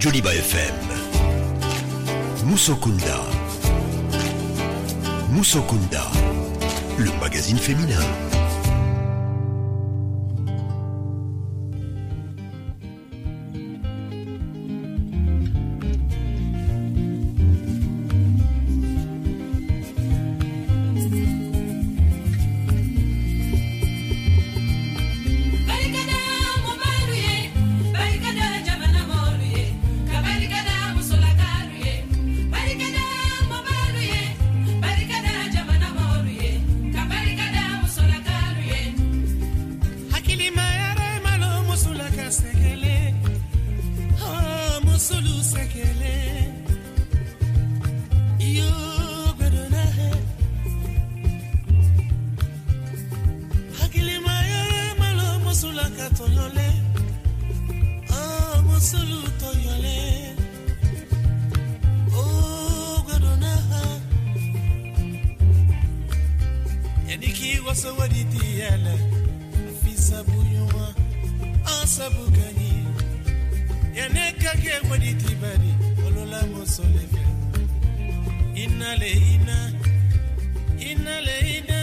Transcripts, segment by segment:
Joliba FM. Musokunda. Musokunda, le magazine féminin. Barikada mubalu ye, barikada jamana mɔlu ye, ka barikada musolakalu ye. Barikada mubalu ye, barikada jamana mɔlu ye, ka barikada musolakalu ye. Hakilima yɛrɛ malo musolaka sɛgɛlɛ, oh, musolu sɛgɛlɛ. Iyo gbɛdɔnna hɛ. Hakilima yɛrɛ malo musolaka tɔɲɔlɛ, oh, musolu tɔɲɔlɛ. Oh, gbɛdɔnna hɛ. Yani k'i waso wadi ti yɛlɛ, fi sabu ɲuman, an sabu ka ɲi. Yani ka kɛ wadi ti bari, olola muso le fɛ. Ina le ina, ina le ina,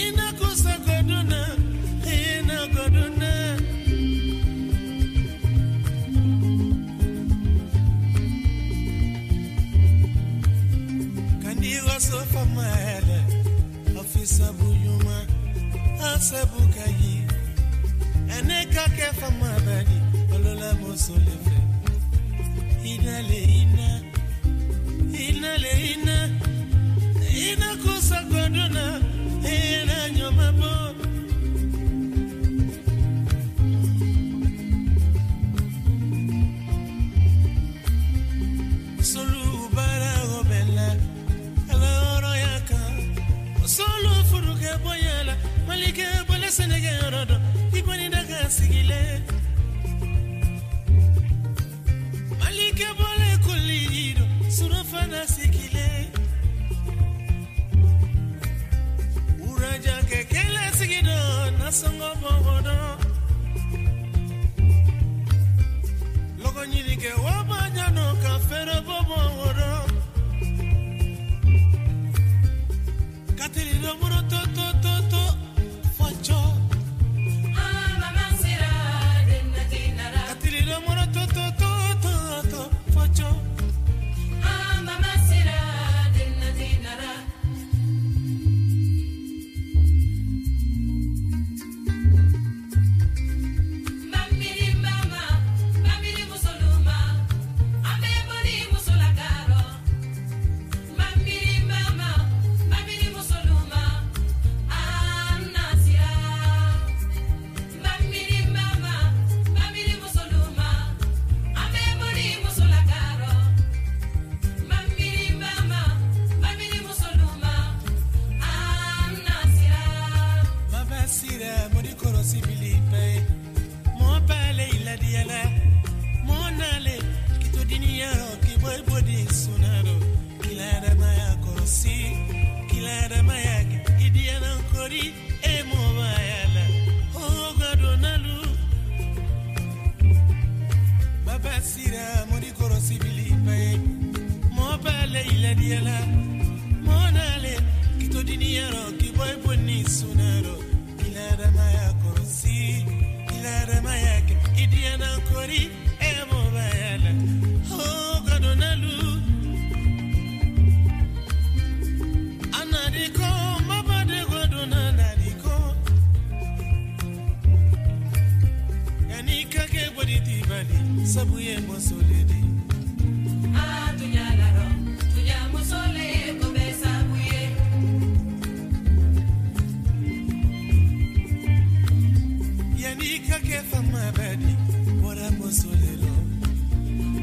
ina kusa goduna, ina goduna. Kandi waso fama yɛlɛ, ɔfisa buɲuma, asabu ka ɲi. Ene ka kɛ fama badi, olola muso le fɛ. Ina le ina, ina le ina, ina kusa goduna, ina nyoma bo. Solu bara obela, ala oro yaka. Solu furuke boyala, malike bole senege yorodo, iboni daga sigile. Malike bole kulido, surafana sigile. Uraja kekele sigido, nasongo bogodo. Logo nyinike wabanyano ka fere bobo wodo. Katili domuro to to to to focho. Ah, mama sira denna tinara. Katili domuro to to to to to focho. Ah, mama sira denna tinara. Mamiri mama, mamiri musoluma, ambe boli musolakaro. Mamiri mama, mamiri musoluma, anasira. Mamiri mama, mamiri musoluma, ambe boli musolakaro. Mamiri mama, mamiri musoluma, anasira. Baba sira mori korosi bilipe. Mo pale iladiala. Mo nale kito diniyaro ki boy bodi sunaro. Kilada maya korosi. Kilada maya idiana kori e mo bayala. Oh gadonalu. Baba sira mori korosi bilipe. Mo pale iladiala. Mo nale kito diniyaro ki boy bodi sunaro. Kilada maya korosi. Kilada maya idiana kori e mo bayala. Oh gadonalu. Anadiko mabade godona nadiko. Yani kake bodi tibali sabuye mosoledi. Ah, tunyalaro, tunya musole kobe sabuye. Yani kake fama badi bora mosolelo.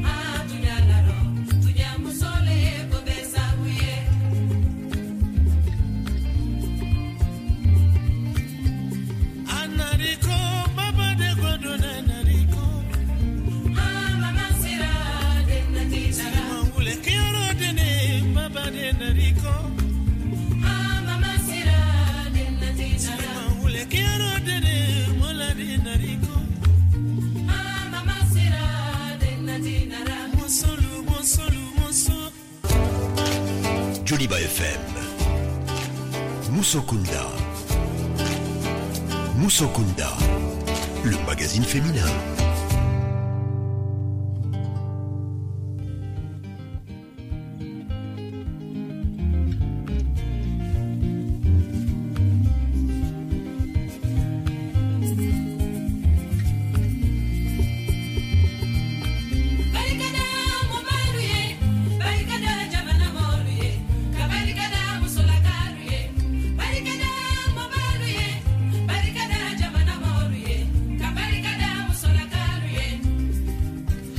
Ah, tunyalaro, tunya musole kobe sabuye. Anadiko mabade godona nadiko. Ah, mama sira denna tinara. Mangule kioro dene mabade nadiko. Ah, mama sira denna tinara. Mangule kioro dene molade nadiko. Ah, mama sira Joliba FM. Musokunda. Musokunda, le magazine féminin. Barikada mɔbalu ye, barikada jamana mɔlu ye, ka barikada musolakalu ye. Barikada mɔbalu ye, barikada jamana mɔlu ye, ka barikada musolakalu ye.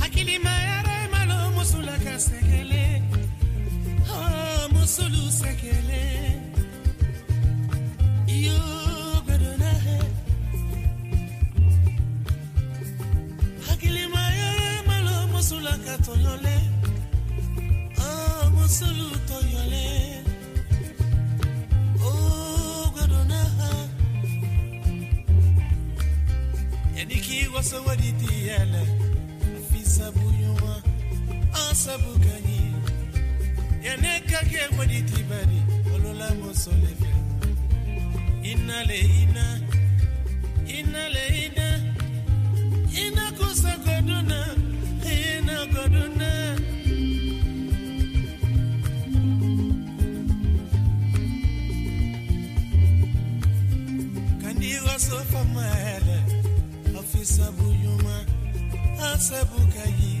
Hakilima yɛrɛ malo musolaka sɛgɛlɛ, oh, musolu sɛgɛlɛ. Iyo gbɛdɔnna hɛ. Hakilima yɛrɛ malo musolaka tɔɲɔlɛ, oh, musolu tɔɲɔlɛ. Oh, gbɛdɔnna hɛ. Yani k'i waso wari ti yɛlɛ, fi sabu ɲuman, an sabu ka ɲi. Yanni ka kɛ wari ti bari, olola muso le fɛ. Ina le ina, ina le ina, ina kusa koduna, ina koduna. Kandi waso fama yɛlɛ, afisa buɲuma, asabu ka ɲi.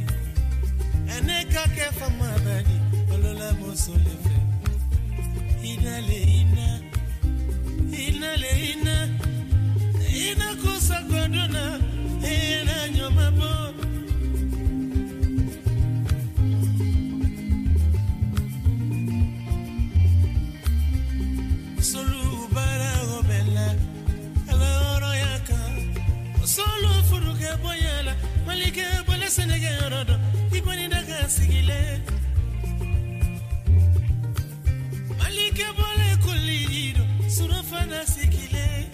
Ɛnɛ ka kɛ fama bani, olola muso le fɛ. Ina le ina, ina le ina, ina kusa koduna, ina ɲɔma bɔ. Solu baara o bɛ la, ala hɔrɔnya kan. Solu furu kɛ bonya la, Malikɛ bɔlɛ sɛnɛkɛ yɔrɔ dɔn, i kɔni da ka sigilen. Malikɛ bɔlɛ koli dɔn, surafana sigilen.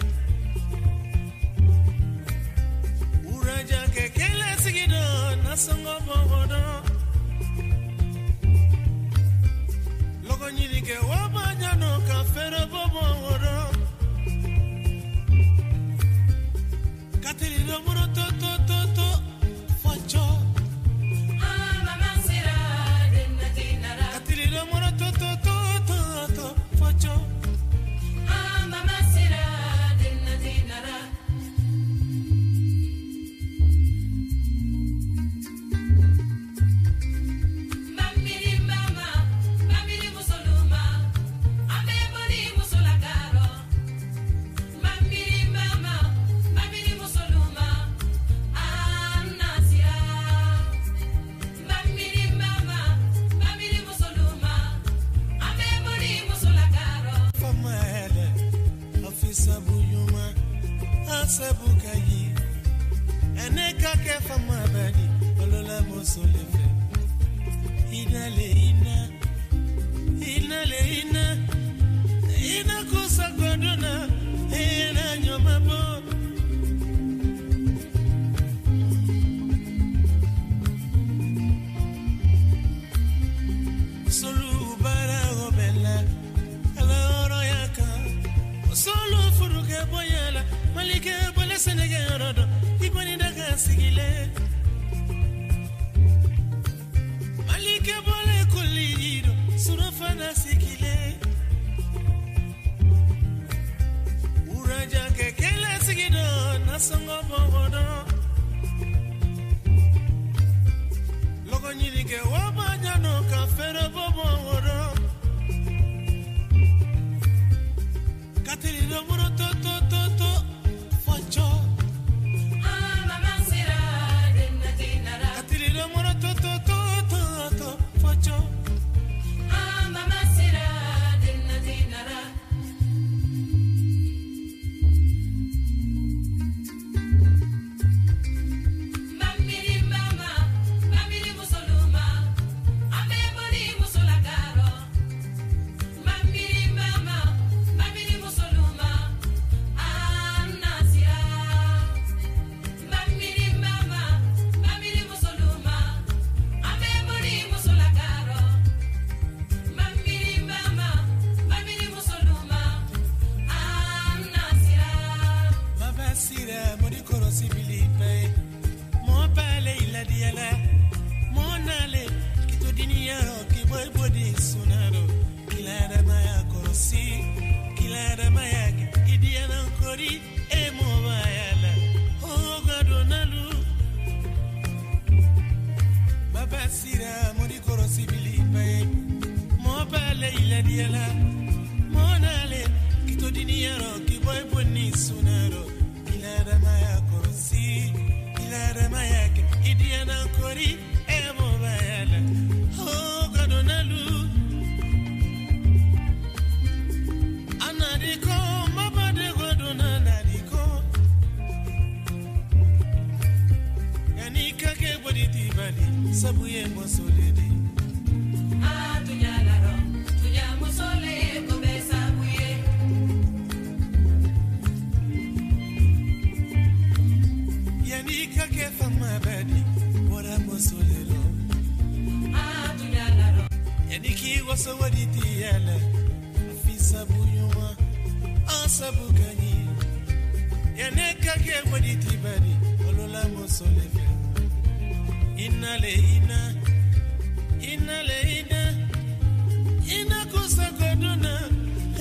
Wuraja kɛ kɛlɛ sigi dɔn, nasɔngɔ bɔ o dɔn. Lɔgɔ ɲini kɛ wa ba ɲanɔ ka fɛrɛ bɔ bɔ o dɔn. Kateli dɔ muru to to to to fɔcɔ. An mama sera jannati nara. Kateli dɔ muru to to to to to fɔcɔ. An mama sera jannati nara. Mamiri mama, mamiri musoluma, an bɛ boli musolakaro. Mamiri mama, mamiri musoluma, an nasira. Mamiri mama, mamiri musoluma, an bɛ boli musolakaro. Fama yɛlɛ, afisa buɲuma, asabu ka ɲi. Ɛnɛ ka kɛ fama bani, olola muso le fɛ. Ina le ina, ina le ina, ina kusa godona, ina ɲɔma bɔ. Solu baara o bɛ la, ala hɔrɔnya kan. Solu furu kɛ bonya la, Malikɛ bɔlɛ sɛnɛkɛ yɔrɔ dɔn, i kɔni da ka sigilen. Malikɛ bɔlɛ koli dɔn, surafana sigilen. Wuraja kɛ kɛlɛ sigi dɔn, nasɔngɔ bɔ o dɔn. Lɔgɔ ɲini kɛ wa ba ɲanɔ ka fɛrɛ bɔ bɔ o dɔn. Kateli dɔ muru to to to to fɔcɔ. An mama sera jannati nara. Kateli dɔ muru to to to to to fɔcɔ. An mama sera jannati nara. Mamiri mama, mamiri musoluma, an bɛ boli musolakaro. Mamiri mama, mamiri musoluma, kɔrɔsi biliba ye mɔɔ b'ale iladiyala mɔɔ n'ale k'i to diniyarɔ k'i bɔ i bonni sunarɔ k'i la adamaya kɔrɔsi k'i la adamaya kɛ i diyana kori e mɔbaya la o gadonalu anadiko mabade godona nadiko yani kake boditi bali sabu ye mosole di. A tunya larɔ tunya muso le ye ko bɛɛ sabu ye. Yani kake fama badi bɔra mosole lɔ. A tunya larɔ. Yani k'i waso waditi yala fi sabu ɲuman an sabu ka ɲi yani kake waditi badi olola mosole fɛ inale ina inale ina ina kusa goduna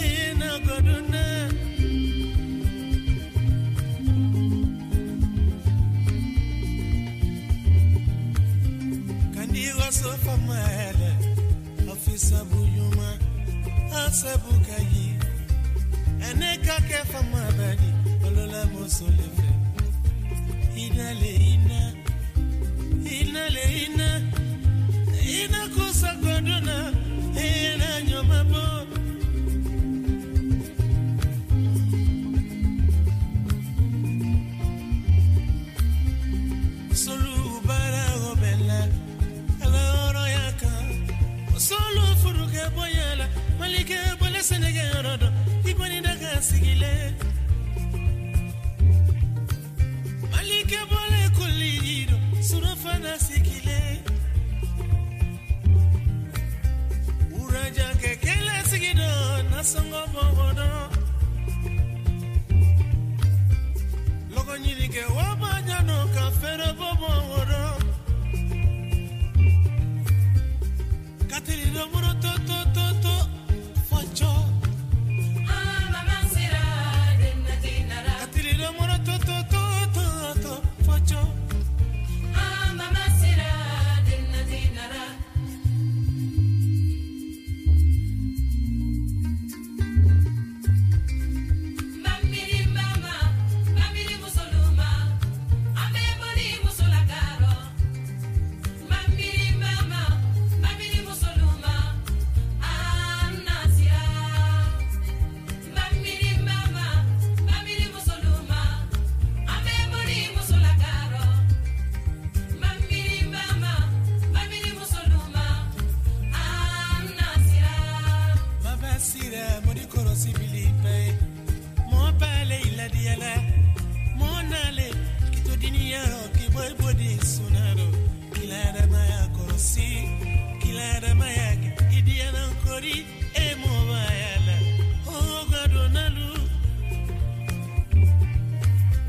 ina goduna. Kandi waso fama yala afisa buyuma asabu kayi ene kake fama badi olola mosole fɛ inale ina inale ina ina kusa goduna ina nyoma bo. Solu bara obela ala oro yaka solu furuke boyala malike bole senege yorodo ikoni daga sigile malike bole kulido surafana sigile uraja kekele sigido nasongo bogodo logo nyinike wabanyano ka fere bobo woro kateli domoro to to to to focho. A mama sira denna tinara. Kateli domoro to to to to to focho. A mama sira denna tinara. Mamiri mama, mamiri musoluma, ame boli musolakaro. Mamiri mama, mamiri musoluma, anasira. Mamiri mama, mamiri musoluma, ame boli musolakaro. Mamiri mama, mamiri musoluma, anasira. Mabasira mori korosi bilipe mo pale iladiala mo nale kitodiniyaro kiboy bodi sunaro kilara maya korosi kilara maya idiana kori e mo bayala o gadonalu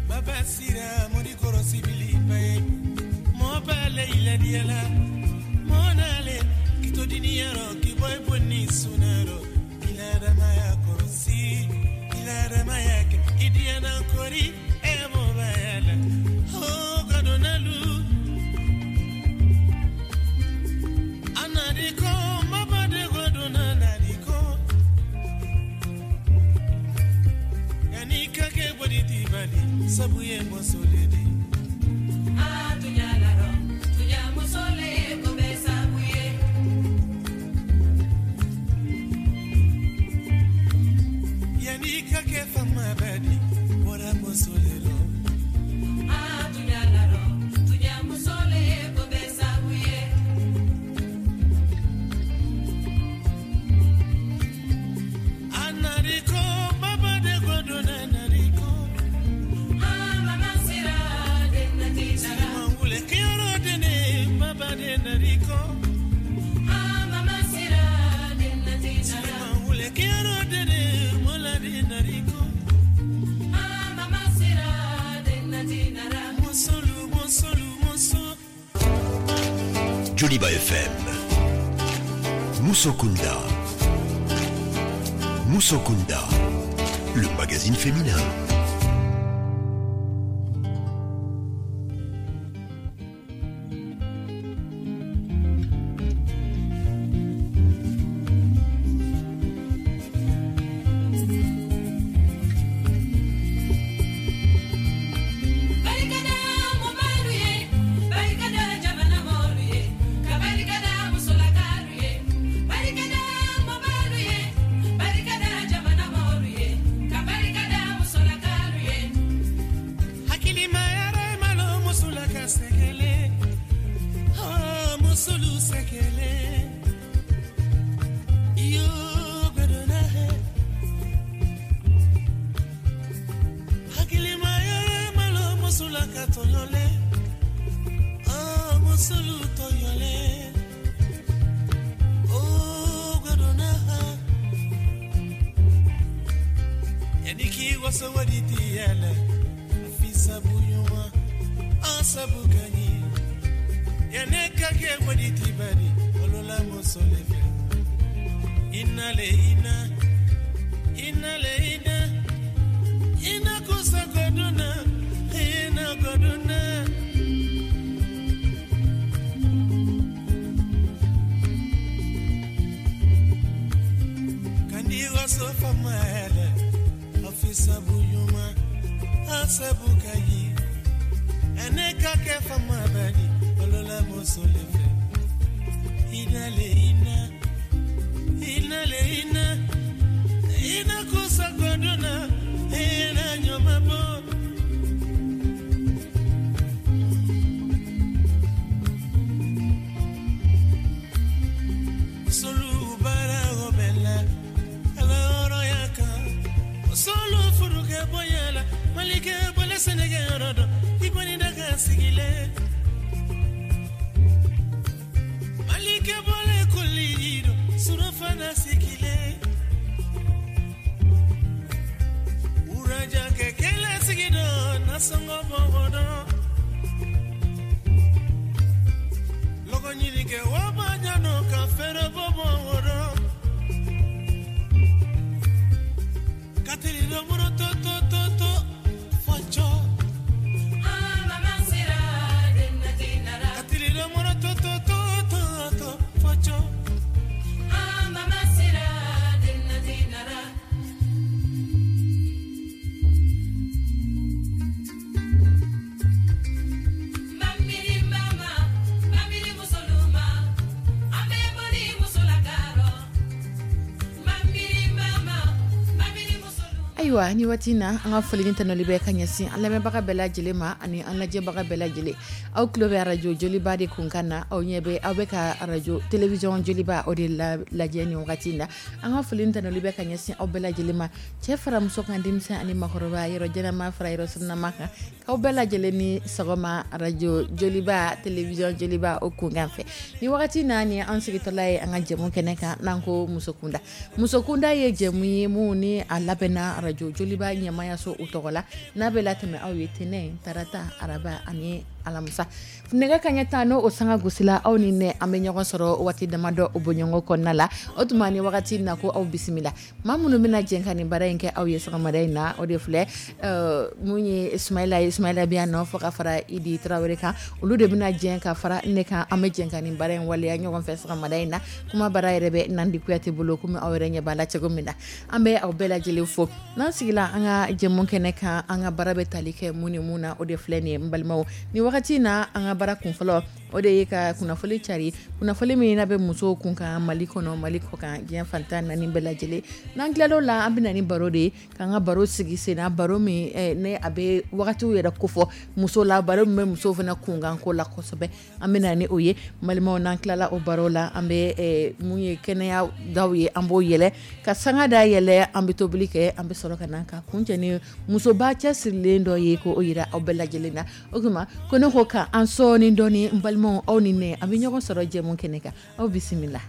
mabasira mori korosi bilipe mo pale iladiala mo nale kitodiniyaro kiboy boni sunaro kilara maya korosi kilara maya idiana kori e mo bayala o gadonalu anadiko mabade godona nadiko yani kake boditi bali sabu ye mosoledi. A tunya larɔ tunya muso le ye ko bɛɛ sabu ye. Yani kake fama badi bɔra mosolelo. A tunya larɔ tunya muso le ye ko bɛɛ sabu ye. Anadiko mabade godona nadiko. A mama sira denna tinara. Mangule kiyoro dene mabade nadiko. A mama sira denna tinara. Mangule kiyoro dene molade nadiko. A mama sira denna tinara. Mosolu mosolu moso. Joliba FM. Musokunda. Musokunda, le magazine féminin. Musolu sɛgɛlɛ iyo gbɛdɔnna hɛ hakilima yɛrɛ malo musola ka tɔɲɔlɛ ah musolu tɔɲɔlɛ oh gbɛdɔnna ha yanni k'i waso wari ti yɛlɛ a fi sabu ɲuman an sabu ka ɲi yanni ka kɛ wari ti bari olola muso le fɛ ina le ina ina le ina ina kusa goduna ina goduna. Kandi waso fama yɛlɛ afisa buɲuma asabu kayi ɛnɛ ka kɛ fama bari olola muso le fɛ ina le ina ina le ina ina kusa goduna ina nyoma bo. Solu bara obela ala oro yaka solu furuke boyala malike bole senege yorodo ikoni daga sigile malike bole kulido surafana sigile uraja kekele sigido nasongo bogodo logo nyinike wabanyano ka fere bobodo katiri domuro to to to to focho Mama sera jannati nara. Katiri domuro to to to to to focho. Mama sera jannati nara. Mamiri mama, mamiri musoluma, ambe boli musolakaro. Mamiri mama, mamiri musoluma. Ayiwa, ni waati in na, an ka foli ni tanuli bɛ ka ɲɛsin an lamɛnbaga bɛɛ lajɛlen ma ani an lajɛbaga bɛɛ lajɛlen. Aw tulo bɛ arajo Joliba de kunkan na, aw ɲɛ bɛ aw bɛ ka arajo télévision Joliba o de lajɛ nin wagati in na. An ka foli ni tanuli bɛ ka ɲɛsin aw bɛɛ lajɛlen ma, cɛ fara muso kan, denmisɛn ani maakɔrɔba, yɔrɔ jɛnama fara yɔrɔ surunama kan, k'aw bɛɛ lajɛlen ni sɔgɔma arajo Joliba télévision Joliba o kunkan fɛ. Ni wagati in na, nin ye an sigitɔla ye an ka jɛmu kɛnɛ kan n'an ko Musokunda. Musokunda ye jɛmu ye mun ni a labɛnna arajo Joliba ɲɛmayaso o tɔgɔ la, n'a bɛ latɛmɛ aw ye tɛnɛn, tarata, araba ani alamisa. Nɛgɛ kaɲɛ 10 n'o sanga gosila, aw ni ne an bɛ ɲɔgɔn sɔrɔ waati damadɔ o bɔɲɔgɔn kɔnɔna la. O tuma ni wagati in na, ko aw bisimila. Maa minnu bɛna jɛn ka nin baara in kɛ aw ye sɔgɔmada in na, o de filɛ mun ye Ismaila ye, Ismaila bɛ yan nɔ fo ka fara Idi Tarawele kan, olu de bɛna jɛn ka fara ne kan, an bɛ jɛn ka nin baara in waleya ɲɔgɔn fɛ sɔgɔmada in na. Kuma baara yɛrɛ bɛ Nandi Kuyate bolo, komi aw yɛrɛ ɲɛ b'a la cogo min na. An bɛ aw bɛɛ lajɛlen fo. N'an sigila an ka jɛmu kɛnɛ kan, an ka baara bɛ tali kɛ mun ni mun na, o de filɛ nin ye n balimaw. Ni wagati in na, an ka baara kunfɔlɔ o de ye ka kunnafoni cari, kunnafoni min n'a bɛ musow kun kan Mali kɔnɔ, Mali kɔ kan, diɲɛ fan 14 bɛɛ lajɛlen. N'an tilal'o la, an bɛ na ni baro de ye, k'an ka baro sigi sen na, baro min ne a bɛ wagatiw yɛrɛ kofɔ muso la, baro min bɛ musow fana kunkanko la kosɛbɛ, an bɛ na ni o ye. Balimaw, n'an tilala o baro la, an bɛ mun ye kɛnɛya daw ye, an b'o yɛlɛ ka sanga da yɛlɛ, an bɛ tobili kɛ, an bɛ sɔrɔ ka na ka kuncɛ ni musoba cɛsirilen dɔ ye k'o yira aw bɛɛ lajɛlen na. O tuma ko ne ko ka an sɔɔni dɔɔni, n balimaw, aw ni ne an bɛ ɲɔgɔn sɔrɔ jɛmu kɛnɛ kan. Aw bisimila.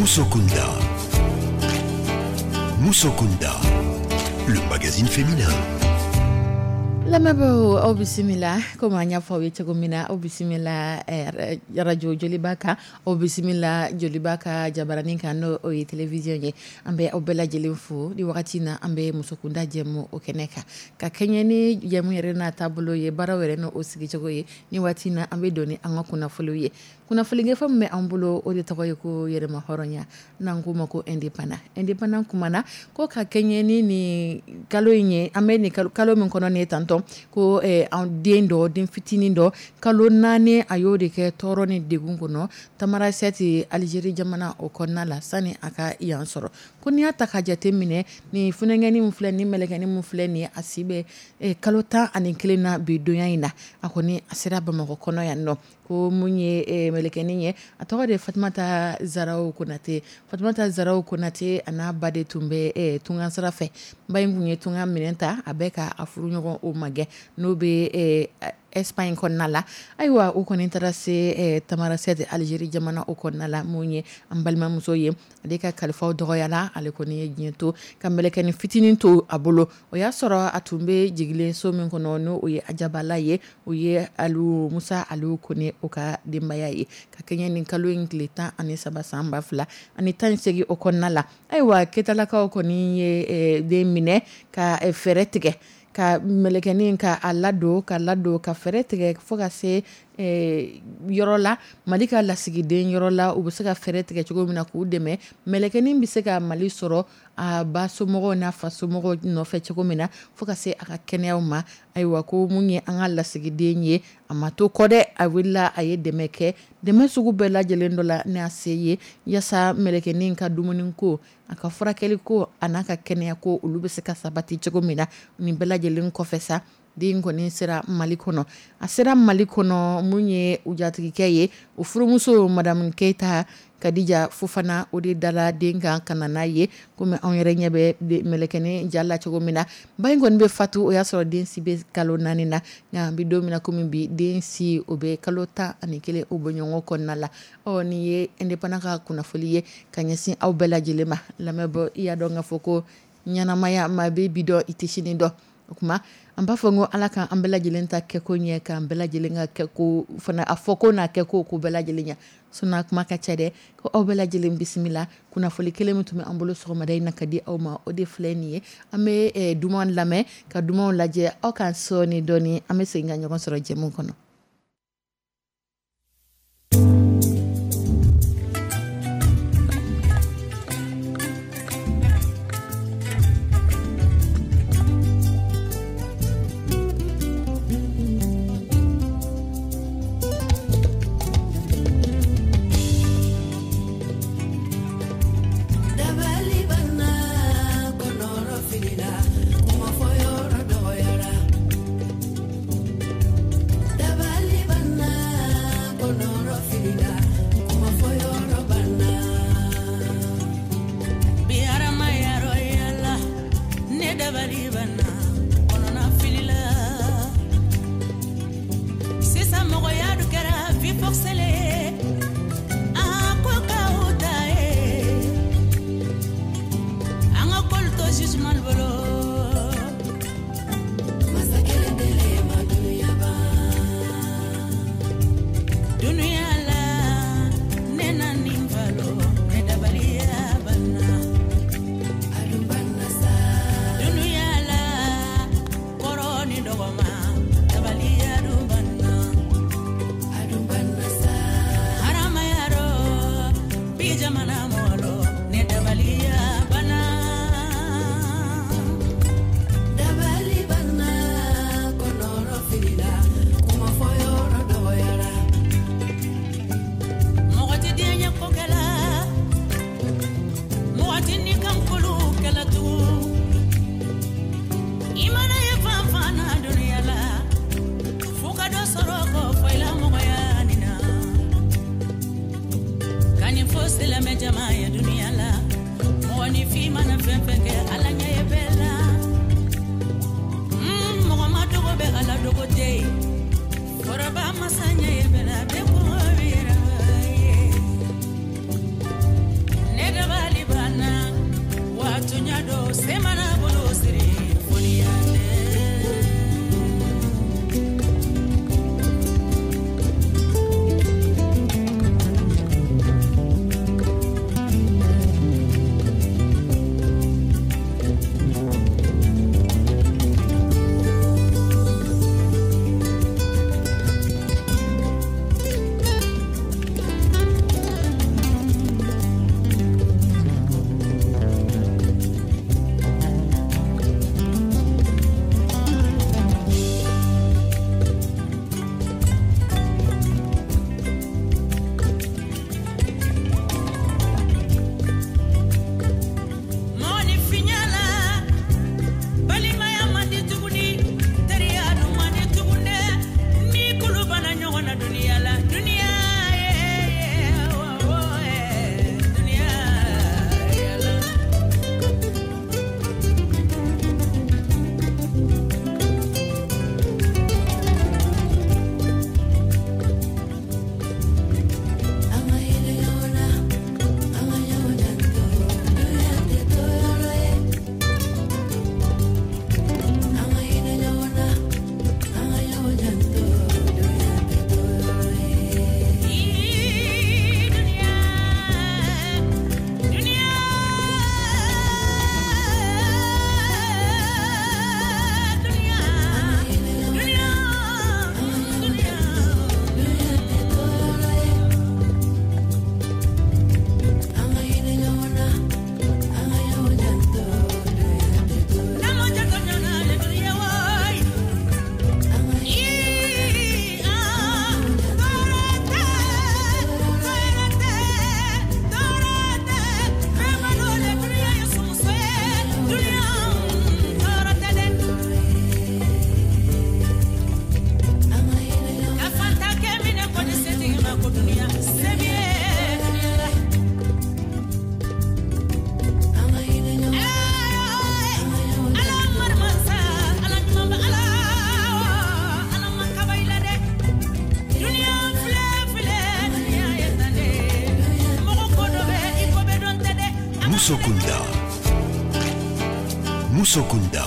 Musokunda. Musokunda, le magazine féminin. Lamɛnbaaw, aw bisimila. Komi an y'a fɔ aw ye cogo min na, aw bisimila radio Joliba kan, aw bisimila Joliba ka jabaranin kan, n'o o ye télévision ye. An bɛ aw bɛɛ lajɛlen fo ni wagati na. An bɛ Musokunda jɛmu o kɛnɛ kan, ka kɛɲɛ ni jɛmu yɛrɛ n'a taabolo ye, baaraw yɛrɛ n'o sigicogo ye. Ni waati na, an bɛ don ni an ka kunnafoniw ye. Kunnafoni gafe min bɛ an bolo, o de tɔgɔ ye ko yɛrɛma hɔrɔnya, n'an k'o ma ko indépendant. Indépendant kumana ko ka kɛɲɛ ni nin kalo in ye, an bɛ nin kalo min kɔnɔ nin ye tantɔ, ko an den dɔ, den fitinin dɔ, kalo 4, a y'o de kɛ tɔɔrɔ ni degun kɔnɔ Tamarasɛti, Alizeri jamana o kɔnɔna la, sani a ka yan sɔrɔ. Ko n'i y'a ta ka jate minɛ, nin funankɛnin min filɛ nin, mɛlɛkɛnin min filɛ nin, a si bɛ kalo 11 na bi donya in na. A kɔni a sera Bamakɔ kɔnɔ yan nɔ. Ko mun ye mɛlɛkɛnin ye, a tɔgɔ de ye Fatumata Zaraw Konate. Fatumata Zaraw Konate, a n'a ba de tun bɛ tunga sira fɛ. Ba in tun ye tunga minɛn ta, a bɛ ka a furuɲɔgɔn o magɛn, n'o bɛ Espagne kɔnɔna la. Ayiwa, o kɔni taara se Tamarasɛti, Alizeri jamana o kɔnɔna la. Mun ye an balimamuso ye, ale ka kalifaw dɔgɔyala, ale kɔni ye diɲɛ to ka mɛlɛkɛnin fitinin to a bolo. O y'a sɔrɔ a tun bɛ jigilen so min kɔnɔ, n'o o ye Ajabala ye, o ye Alu Musa Alu Kone o ka denbaya ye, ka kɛɲɛ ni kalo in tile 13 san 2018 o kɔnɔna la. Ayiwa, Ketalakaw kɔni ye den minɛ ka fɛɛrɛ tigɛ ka mɛlɛkɛnin ka a ladon, ka ladon, ka fɛɛrɛ tigɛ fo ka se yɔrɔ la, Mali ka lasigiden yɔrɔ la, u bɛ se ka fɛɛrɛ tigɛ cogo min na k'u dɛmɛ, mɛlɛkɛnin bɛ se ka Mali sɔrɔ a ba somɔgɔw n'a fa somɔgɔw nɔfɛ cogo min na, fo ka se a ka kɛnɛyaw ma. Ayiwa, ko mun ye an ka lasigiden ye, a ma to kɔ dɛ, a wulila, a ye dɛmɛ kɛ, dɛmɛ sugu bɛɛ lajɛlen dɔ la n'a se ye, yaasa mɛlɛkɛnin ka dumuni ko, a ka furakɛli ko, a n'a ka kɛnɛya ko, olu bɛ se ka sabati cogo min na. Nin bɛɛ lajɛlen kɔfɛ sa, den kɔni sera Mali kɔnɔ. A sera Mali kɔnɔ, mun ye u jatigikɛ ye, o furumuso madame Keyita Kadija Fofana, o de dala den kan ka na n'a ye. Komi anw yɛrɛ ɲɛ bɛ mɛlɛkɛnin ja la cogo min na, ba in kɔni bɛ fatu, o y'a sɔrɔ den si bɛ kalo 4 na. Nka an bɛ don min na komi bi, den si o bɛ kalo 11 o bɔ ɲɔgɔn kɔnɔna la. Ɔ, nin ye indépendant ka kunnafoli ye ka ɲɛsin aw bɛɛ lajɛlen ma. Lamɛnbɔ, i y'a dɔn k'a fɔ ko ɲɛnamaya, maa bɛ bi dɔn, i tɛ sini dɔn. O tuma an b'a fɔ ko Ala ka an bɛɛ lajɛlen ta kɛko ɲɛ, k'an bɛɛ lajɛlen ka kɛko fana, a fɔ ko n'a kɛko ko bɛɛ lajɛlen ɲɛ. Sinon kuma ka ca dɛ. Ko aw bɛɛ lajɛlen bisimila. Kunnafoli kelen min tun bɛ an bolo sɔgɔmada in na ka di aw ma, o de filɛ nin ye. An bɛ duman lamɛn, ka dumanw lajɛ, aw ka sɔɔni dɔɔni an bɛ segin ka ɲɔgɔn sɔrɔ jɛmu kɔnɔ. Ne Musokunda. Musokunda,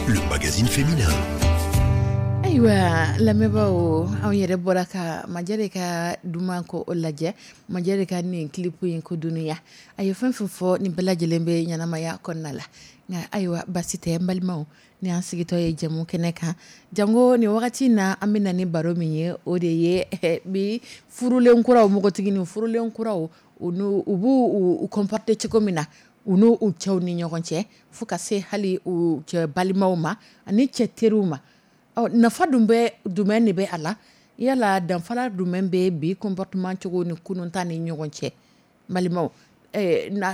le magazine féminin. Ayiwa lamɛnbaaw, anw yɛrɛ bɔra ka Majɛ ka duman ko o lajɛ. Majɛ ka nin clip in ko dunuya, a ye fɛn fɛn fɔ, nin bɛɛ lajɛlen bɛ ɲɛnamaya kɔnɔna la. Nka ayiwa, basi tɛ n balimaw, ni an sigitɔ ye jɛmu kɛnɛ kan, jango nin wagati na, an bɛ na ni baro min ye, o de ye bi furulen kuraw, npogotiginin furulen kuraw, u b'u u comporter cogo min na u n'u u cɛw ni ɲɔgɔn cɛ, fo ka se hali u cɛ balimaw ma ani cɛ teriw ma. Ɔ nafa dun bɛ jumɛn de bɛ a la? Yala danfara jumɛn bɛ bi comportement cogo ni kunun ta ni ɲɔgɔn cɛ? Balimaw,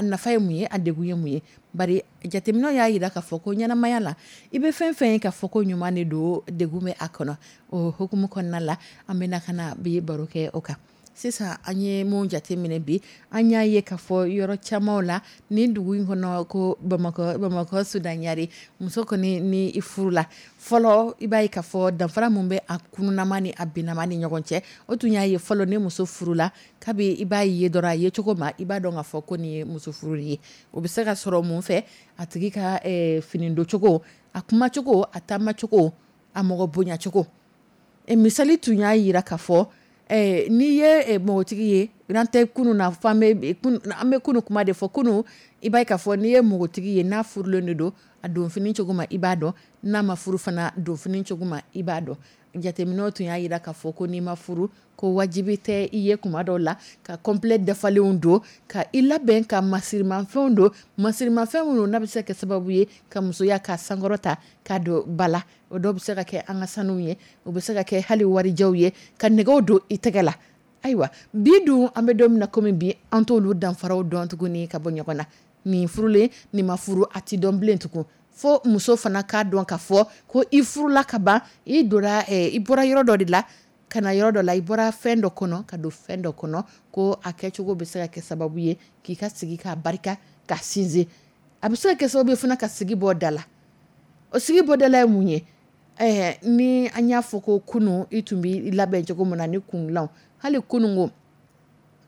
nafa ye mun ye, a degun ye mun ye? Bari jateminɛw y'a jira k'a fɔ ko ɲɛnamaya la, i bɛ fɛn fɛn ye k'a fɔ ko ɲuman de don, degun bɛ a kɔnɔ. O hukumu kɔnɔna la, an bɛna ka na bi baro kɛ o kan. Sisan an ye mun jateminɛ bi, an y'a ye k'a fɔ yɔrɔ caman la nin dugu in kɔnɔ, ko Bamakɔ, Bamakɔ Sudanyari, muso kɔni ni i furu la fɔlɔ, i b'a ye k'a fɔ danfara mun bɛ a kununama ni a binama ni ɲɔgɔn cɛ, o tun y'a ye fɔlɔ, ni muso furula, kabi i b'a ye dɔrɔn, a ye cogo ma, i b'a dɔn k'a fɔ ko nin ye muso furu ye. O bɛ se ka sɔrɔ mun fɛ? A tigi ka fini doncogo, a kumacogo, a taamacogo, a mɔgɔ bonyacogo. Misali tun y'a jira k'a fɔ n'i ye npogotigi ye, n'an tɛ kunun na, fɔ an bɛ kunun kuma de fɔ, kunun i b'a ye k'a fɔ n'i ye npogotigi ye, n'a furulen de don, a donfini cogo ma i b'a dɔn, n'a ma furu fana, donfini cogo ma i b'a dɔn. Jateminɛw tun y'a jira k'a fɔ ko n'i ma furu, ko wajibi tɛ i ye kuma dɔw la ka complet dafalenw don, ka i labɛn ka masirimafɛnw don, masirimafɛn minnu n'a bɛ se ka kɛ sababu ye ka musoya ka sankɔrɔta ka don ba la. O dɔw bɛ se ka kɛ an ka sanuw ye, o bɛ se ka kɛ hali warijɛw ye, ka nɛgɛw don i tɛgɛ la. Ayiwa bi dun, an bɛ don min na komi bi, an t'olu danfaraw dɔn tuguni ka bɔ ɲɔgɔn na. Nin furulen, nin ma furu, a ti dɔn bilen tugun. Fo muso fana k'a dɔn k'a fɔ ko i furula ka ban, i donna, i bɔra yɔrɔ dɔ de la ka na yɔrɔ dɔ la, i bɔra fɛn dɔ kɔnɔ ka don fɛn dɔ kɔnɔ, ko a kɛcogo bɛ se ka kɛ sababu ye k'i ka sigi k'a barika ka sinsin. A bɛ se ka kɛ sababu ye fana ka sigi bɔ da la. O sigi bɔ da la ye mun ye? Ni an y'a fɔ ko kunun i tun b'i labɛn cogo min na ni kundilan, hali kunun ko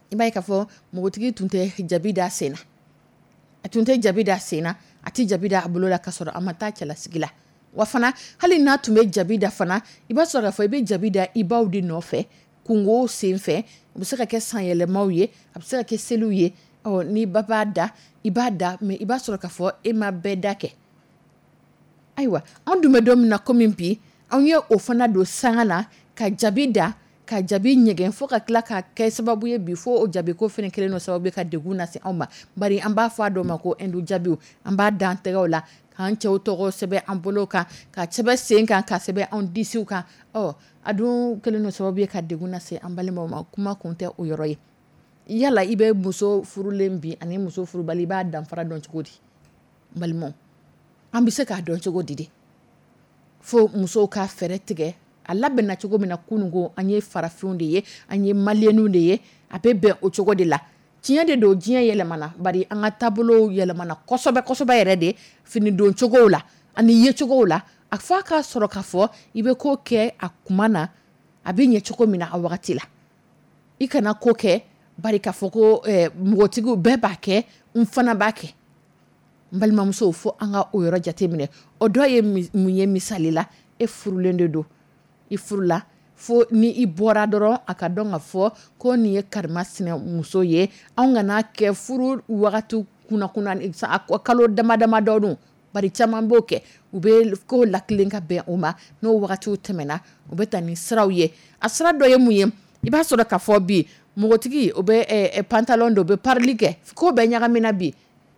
i b'a ye k'a fɔ npogotigi tun tɛ jabi da sen na, a tun tɛ jabi da sen na, a tɛ jabi da a bolo la, k'a sɔrɔ a ma taa cɛlasigi la. Wa fana, hali n'a tun bɛ jabi da fana, i b'a sɔrɔ k'a fɔ i bɛ jabi da i baw de nɔfɛ kungo sen fɛ. O bɛ se ka kɛ sanyɛlɛmaw ye, a bɛ se ka kɛ seliw ye. Ɔ ni ba b'a da, i b'a da, mais i b'a sɔrɔ k'a fɔ e ma bɛɛ da kɛ. Ayiwa an dun bɛ don min na komi bi, an ye o fana don sanga na ka jabi da, ka jabi ɲɛgɛn, fo ka tila ka kɛ sababu ye bi, fo o jabi ko fana kɛlen don sababu ye ka degun lase anw ma. Bari an b'a fɔ a dɔw ma ko hindu jabiw, an b'a da an tɛgɛw la, k'an cɛw tɔgɔ sɛbɛn an bolo kan, ka sɛbɛn sen kan, ka sɛbɛn an disiw kan. Ɔ a dun kɛlen don sababu ye ka degun lase an balimaw ma. Kuma kun tɛ o yɔrɔ ye. Yala i bɛ muso furulen bi ani muso furubali, i b'a danfara dɔn cogo di? Balimaw, an bɛ se k'a dɔn cogo di de? Fo musow ka fɛɛrɛ tigɛ a labɛnna cogo min na kunun ko, an ye farafinw de ye, an ye maliyɛnw de ye, a bɛ bɛn o cogo de la. Tiɲɛ de don, diɲɛ yɛlɛmana, bari an ka taabolow yɛlɛmana kosɛbɛ kosɛbɛ yɛrɛ de, fini don cogow la ani yecogow la. A fɔ a k'a sɔrɔ k'a fɔ i bɛ ko kɛ a kuma na, a bɛ ɲɛ cogo min na a wagati la. I kana ko kɛ bari k'a fɔ ko npogotigiw bɛɛ b'a kɛ, n fana b'a kɛ. N balimamusow, fo an ka o yɔrɔ jateminɛ. O dɔ ye mun ye? Misali la, e furulen de don, i furula, fo ni i bɔra dɔrɔn a ka dɔn ka fɔ ko nin ye karimasina muso ye. Anw kana kɛ furu wagati kunna kalo dama dama dɔ don, bari caman b'o kɛ, u bɛ ko latilen ka bɛn o ma. N'o wagatiw tɛmɛna, u bɛ taa ni siraw ye. A sira dɔ ye mun ye? I b'a sɔrɔ k'a fɔ bi npogotigi o bɛ pantalon don, o bɛ parili kɛ, ko bɛɛ ɲagamina bi.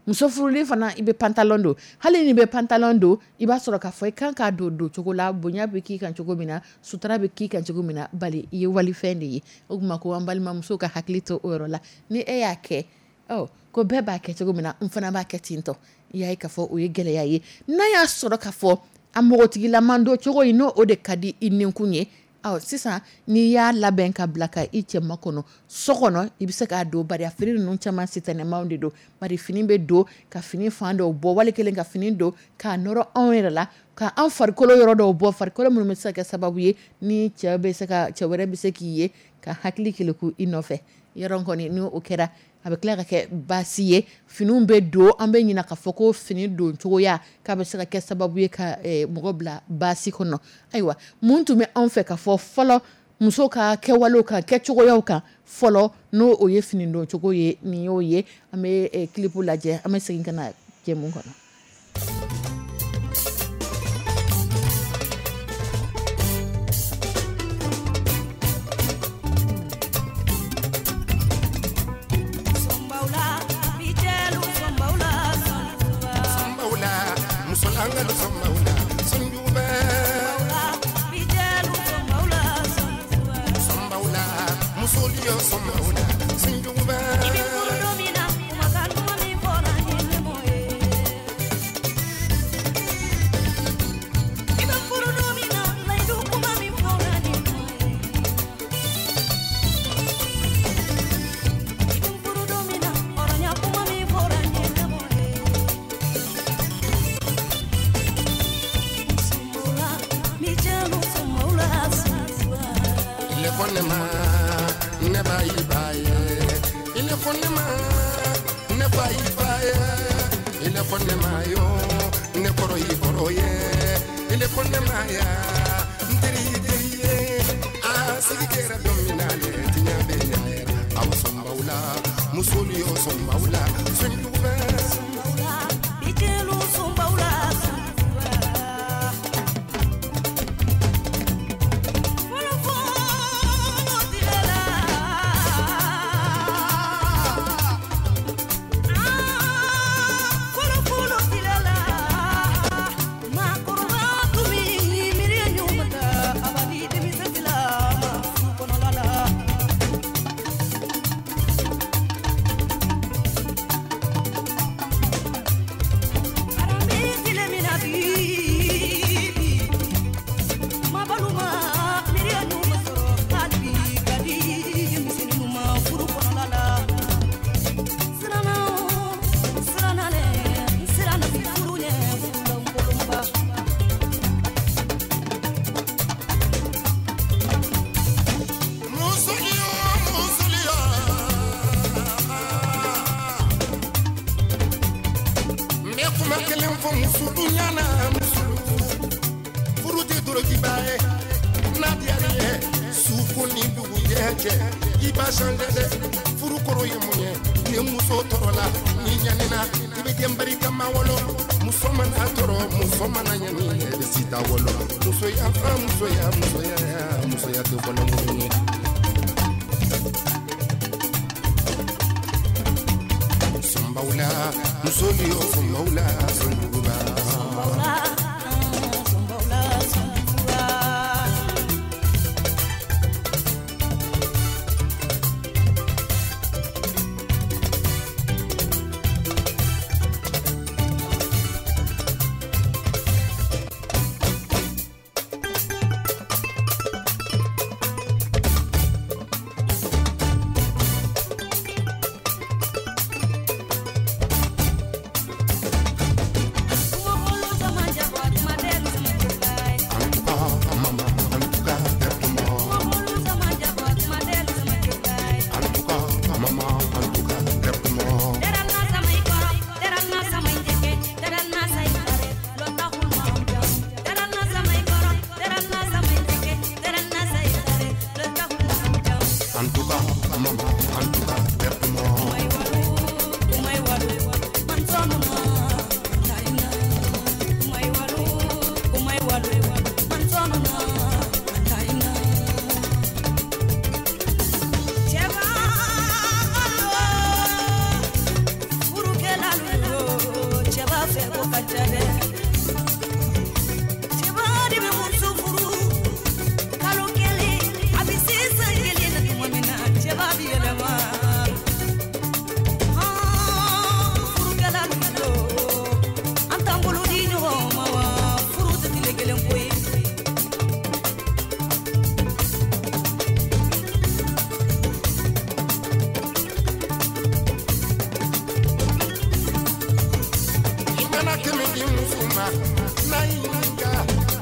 Muso furulen fana, i bɛ pantalon don. Hali ni bɛ pantalon don, i b'a sɔrɔ k'a fɔ i kan k'a don don cogo la, bonya bɛ k'i kan cogo min na, sutura bɛ k'i kan cogo min na, bari i ye walifɛn de ye. O tuma ko an balimamuso ka hakili to o yɔrɔ la. Ni e y'a kɛ, ɔ ko bɛɛ b'a kɛ cogo min na, n fana b'a kɛ ten tɔ, i y'a ye k'a fɔ o ye gɛlɛya ye. N'a y'a sɔrɔ k'a fɔ a npogotigilaman don cogo in, n'o o de ka di i ninkun ye, ɔ sisan n'i y'a labɛn ka bila ka i cɛ makɔnɔ so kɔnɔ, i bɛ se k'a don, bari a fini ninnu caman sitanɛmanw de don. Bari fini bɛ don ka fini fan dɔw bɔ, wali kelen ka fini don k'a nɔrɔ anw yɛrɛ la, ka an farikolo yɔrɔ dɔw bɔ, farikolo minnu bɛ se ka kɛ sababu ye ni cɛ bɛ se ka, cɛ wɛrɛ bɛ se k'i ye ka ka hakili keleku i nɔfɛ. Yɔrɔ kɔni ni o kɛra, a bɛ tila ka kɛ baasi ye. Finiw bɛ don, an bɛ ɲininka k'a fɔ ko fini don cogoya k'a bɛ se ka kɛ sababu ye ka mɔgɔ bila baasi kɔnɔ. Ayiwa, mun tun bɛ anw fɛ ka fɔ fɔlɔ muso ka kɛwalew kan, kɛcogoyaw kan fɔlɔ, n'o o ye fini don cogo ye, nin y'o ye. An bɛ clip lajɛ, an bɛ segin ka na jɛmu kɔnɔ.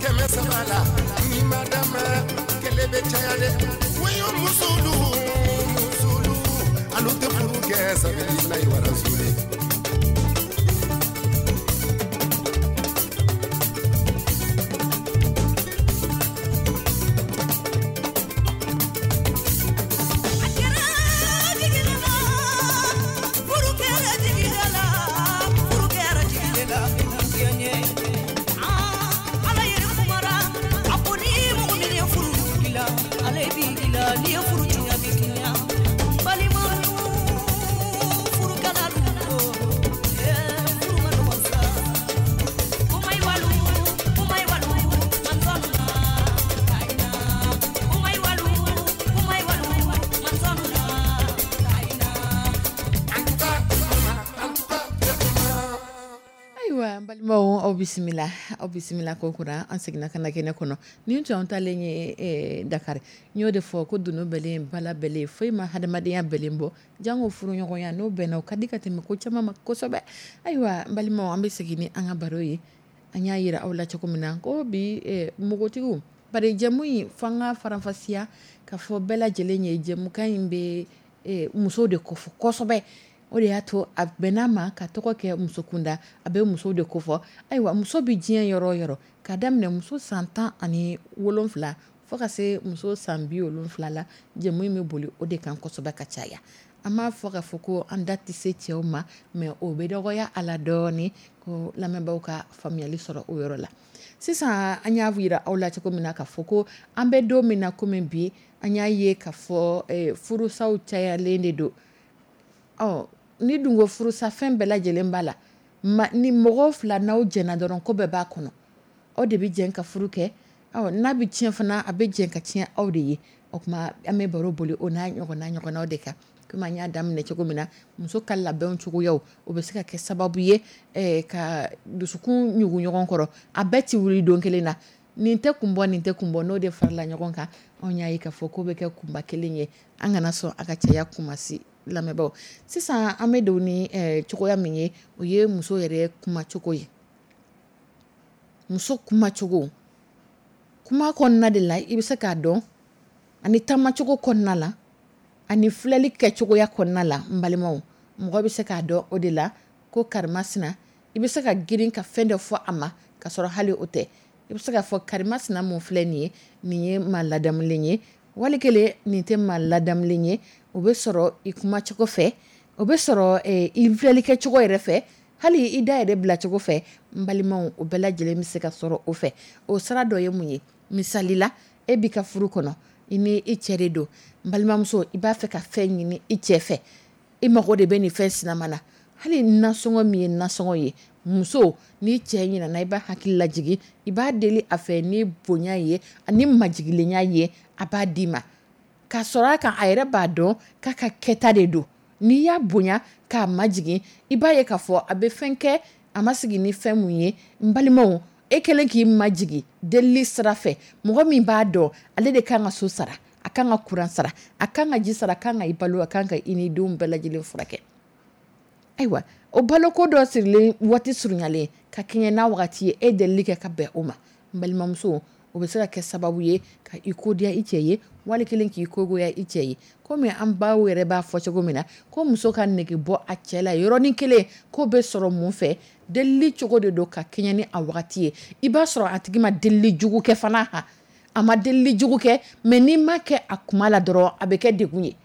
Kɛmɛ saba la ni ma d'a ma kɛlɛ bɛ caya dɛ. Musolu, musolu, alu tɛ furu kɛ sabililahi wa rasuli. A kɛra jigi la, furu kɛra jigi la, furu kɛra jigi la, diɲɛ. Aa, Ala yɛrɛ kumara, a ko ni mɔgɔ min ye furu dilan, ale b'i dilan, n'i ye furu tiɲɛ, a b'i tiɲɛ. Balima furukɛlalu, ee, furu ma nɔgɔn sa. Umay walu, umay walu, man sɔnna kayina. Umay walu, umay walu, man sɔnna kayina. Ayiwa n balimaw, aw bisimila, aw bisimila ko kura. An seginna ka na kɛnɛ kɔnɔ. Nin tun y'an talen ye Dakar. N y'o de fɔ ko dunun bɛlen bala bɛlen, foyi ma hadamadenya bɛlen bɔ jango furuɲɔgɔnya. N'o bɛnna, o ka di ka tɛmɛ ko caman ma kosɛbɛ. Ayiwa n balimaw, an bɛ segin ni an ka baro ye. An y'a yira aw la cogo min na ko bi npogotigiw, bari jɛmu in fo an ka faranfasiya ka fɔ bɛɛ lajɛlen ye, jɛmukan in bɛ musow de kofɔ kosɛbɛ. O de y'a to a bɛn'a ma ka tɔgɔ kɛ muso kunda, a bɛ musow de kofɔ. Ayiwa, muso bɛ diɲɛ yɔrɔ o yɔrɔ, ka daminɛ muso san 17 fo ka se muso san 70 la, jɛmu in bɛ boli o de kan kosɛbɛ ka caya. An m'a fɔ k'a fɔ ko an da tɛ se cɛw ma, mais o bɛ dɔgɔya a la dɔɔni, ko lamɛnbaaw ka faamuyali sɔrɔ o yɔrɔ la. Sisan an y'a yira aw la cogo min na k'a fɔ ko an bɛ don min na komi bi, an y'a ye k'a fɔ furusaw cayalen de don. Ɔ, ni dun ko furusa, fɛn bɛɛ lajɛlen b'a la. Ma, ni mɔgɔ fila n'aw jɛnna dɔrɔn, ko bɛɛ b'a kɔnɔ. Aw de bɛ jɛn ka furu kɛ. Ɔ, n'a bɛ tiɲɛ fana, a bɛ jɛn ka tiɲɛ aw de ye. O tuma an bɛ baro boli o n'a ɲɔgɔnna ɲɔgɔnnaw de kan. Komi an y'a daminɛ cogo min na, muso ka labɛnw cogoyaw, o bɛ se ka kɛ sababu ye ka dusukun ɲugun ɲɔgɔn kɔrɔ. A bɛɛ ti wuli don kelen na. Nin tɛ kun bɔ, nin tɛ kun bɔ, n'o de farala ɲɔgɔn kan, anw y'a ye k'a fɔ ko bɛ kɛ kunba kelen ye. An kana sɔn a ka caya kumasi, lamɛnbaaw. Sisan an bɛ don ni cogoya min ye, o ye muso yɛrɛ kumacogo ye. Muso kumacogo, kuma kɔnɔna de la i bɛ se k'a dɔn, ani taamacogo kɔnɔna la, ani filɛli kɛcogoya kɔnɔna la. N balimaw, mɔgɔ bɛ se k'a dɔn o de la ko karimasina. I bɛ se ka girin ka fɛn dɔ fɔ a ma ka sɔrɔ hali o tɛ. I bɛ se k'a fɔ karimasina mun filɛ nin ye, nin ye maa ladamulen ye, wali kelen nin tɛ maa ladamulen ye. O bɛ sɔrɔ i kumacogo fɛ, o bɛ sɔrɔ i filɛli kɛcogo yɛrɛ fɛ, hali i da yɛrɛ bilacogo fɛ. N balimaw, o bɛɛ lajɛlen bɛ se ka sɔrɔ o fɛ. O sira dɔ ye mun ye? Misali la, e b'i ka furu kɔnɔ, i ni i cɛ de don. N balimamuso, i b'a fɛ ka fɛn ɲini i cɛ fɛ, i mago de bɛ nin fɛn sinama na. Hali nasɔngɔ min ye nasɔngɔ ye, muso, n'i cɛ ɲinɛna, i b'a hakili lajigin, i b'a deli a fɛ ni bonya ye ani majigilenya ye, a b'a d'i ma. K'a sɔrɔ a kan, a yɛrɛ b'a dɔn k'a ka kɛta de don. N'i y'a bonya k'a majigin, i b'a ye k'a fɔ a bɛ fɛn kɛ, a ma sigi ni fɛn mun ye. N balimaw, e kɛlen k'i majigin delili sira fɛ, mɔgɔ min b'a dɔn ale de kan ka so sara, a kan ka kuran sara, a kan ka ji sara, a kan ka i balo, a kan ka i ni denw bɛɛ lajɛlen furakɛ. Ayiwa, o baloko dɔ sirilen waati surunyalen ka kɛɲɛ n'a wagati ye, e delili kɛ ka bɛn o ma. N balimamuso, o bɛ se ka kɛ sababu ye ka i kodiya i cɛ ye, wali kelen k'i kogoya i cɛ ye. Komi an baw yɛrɛ b'a fɔ cogo min na, ko muso ka nege bɔ a cɛ la yɔrɔnin kelen, k'o bɛ sɔrɔ mun fɛ? Delili cogo de don ka kɛɲɛ ni a wagati ye. I b'a sɔrɔ a tigi ma delili jugu kɛ fana, a ma delili jugu kɛ, mais n'i ma kɛ a kuma la dɔrɔn, a bɛ kɛ degun ye.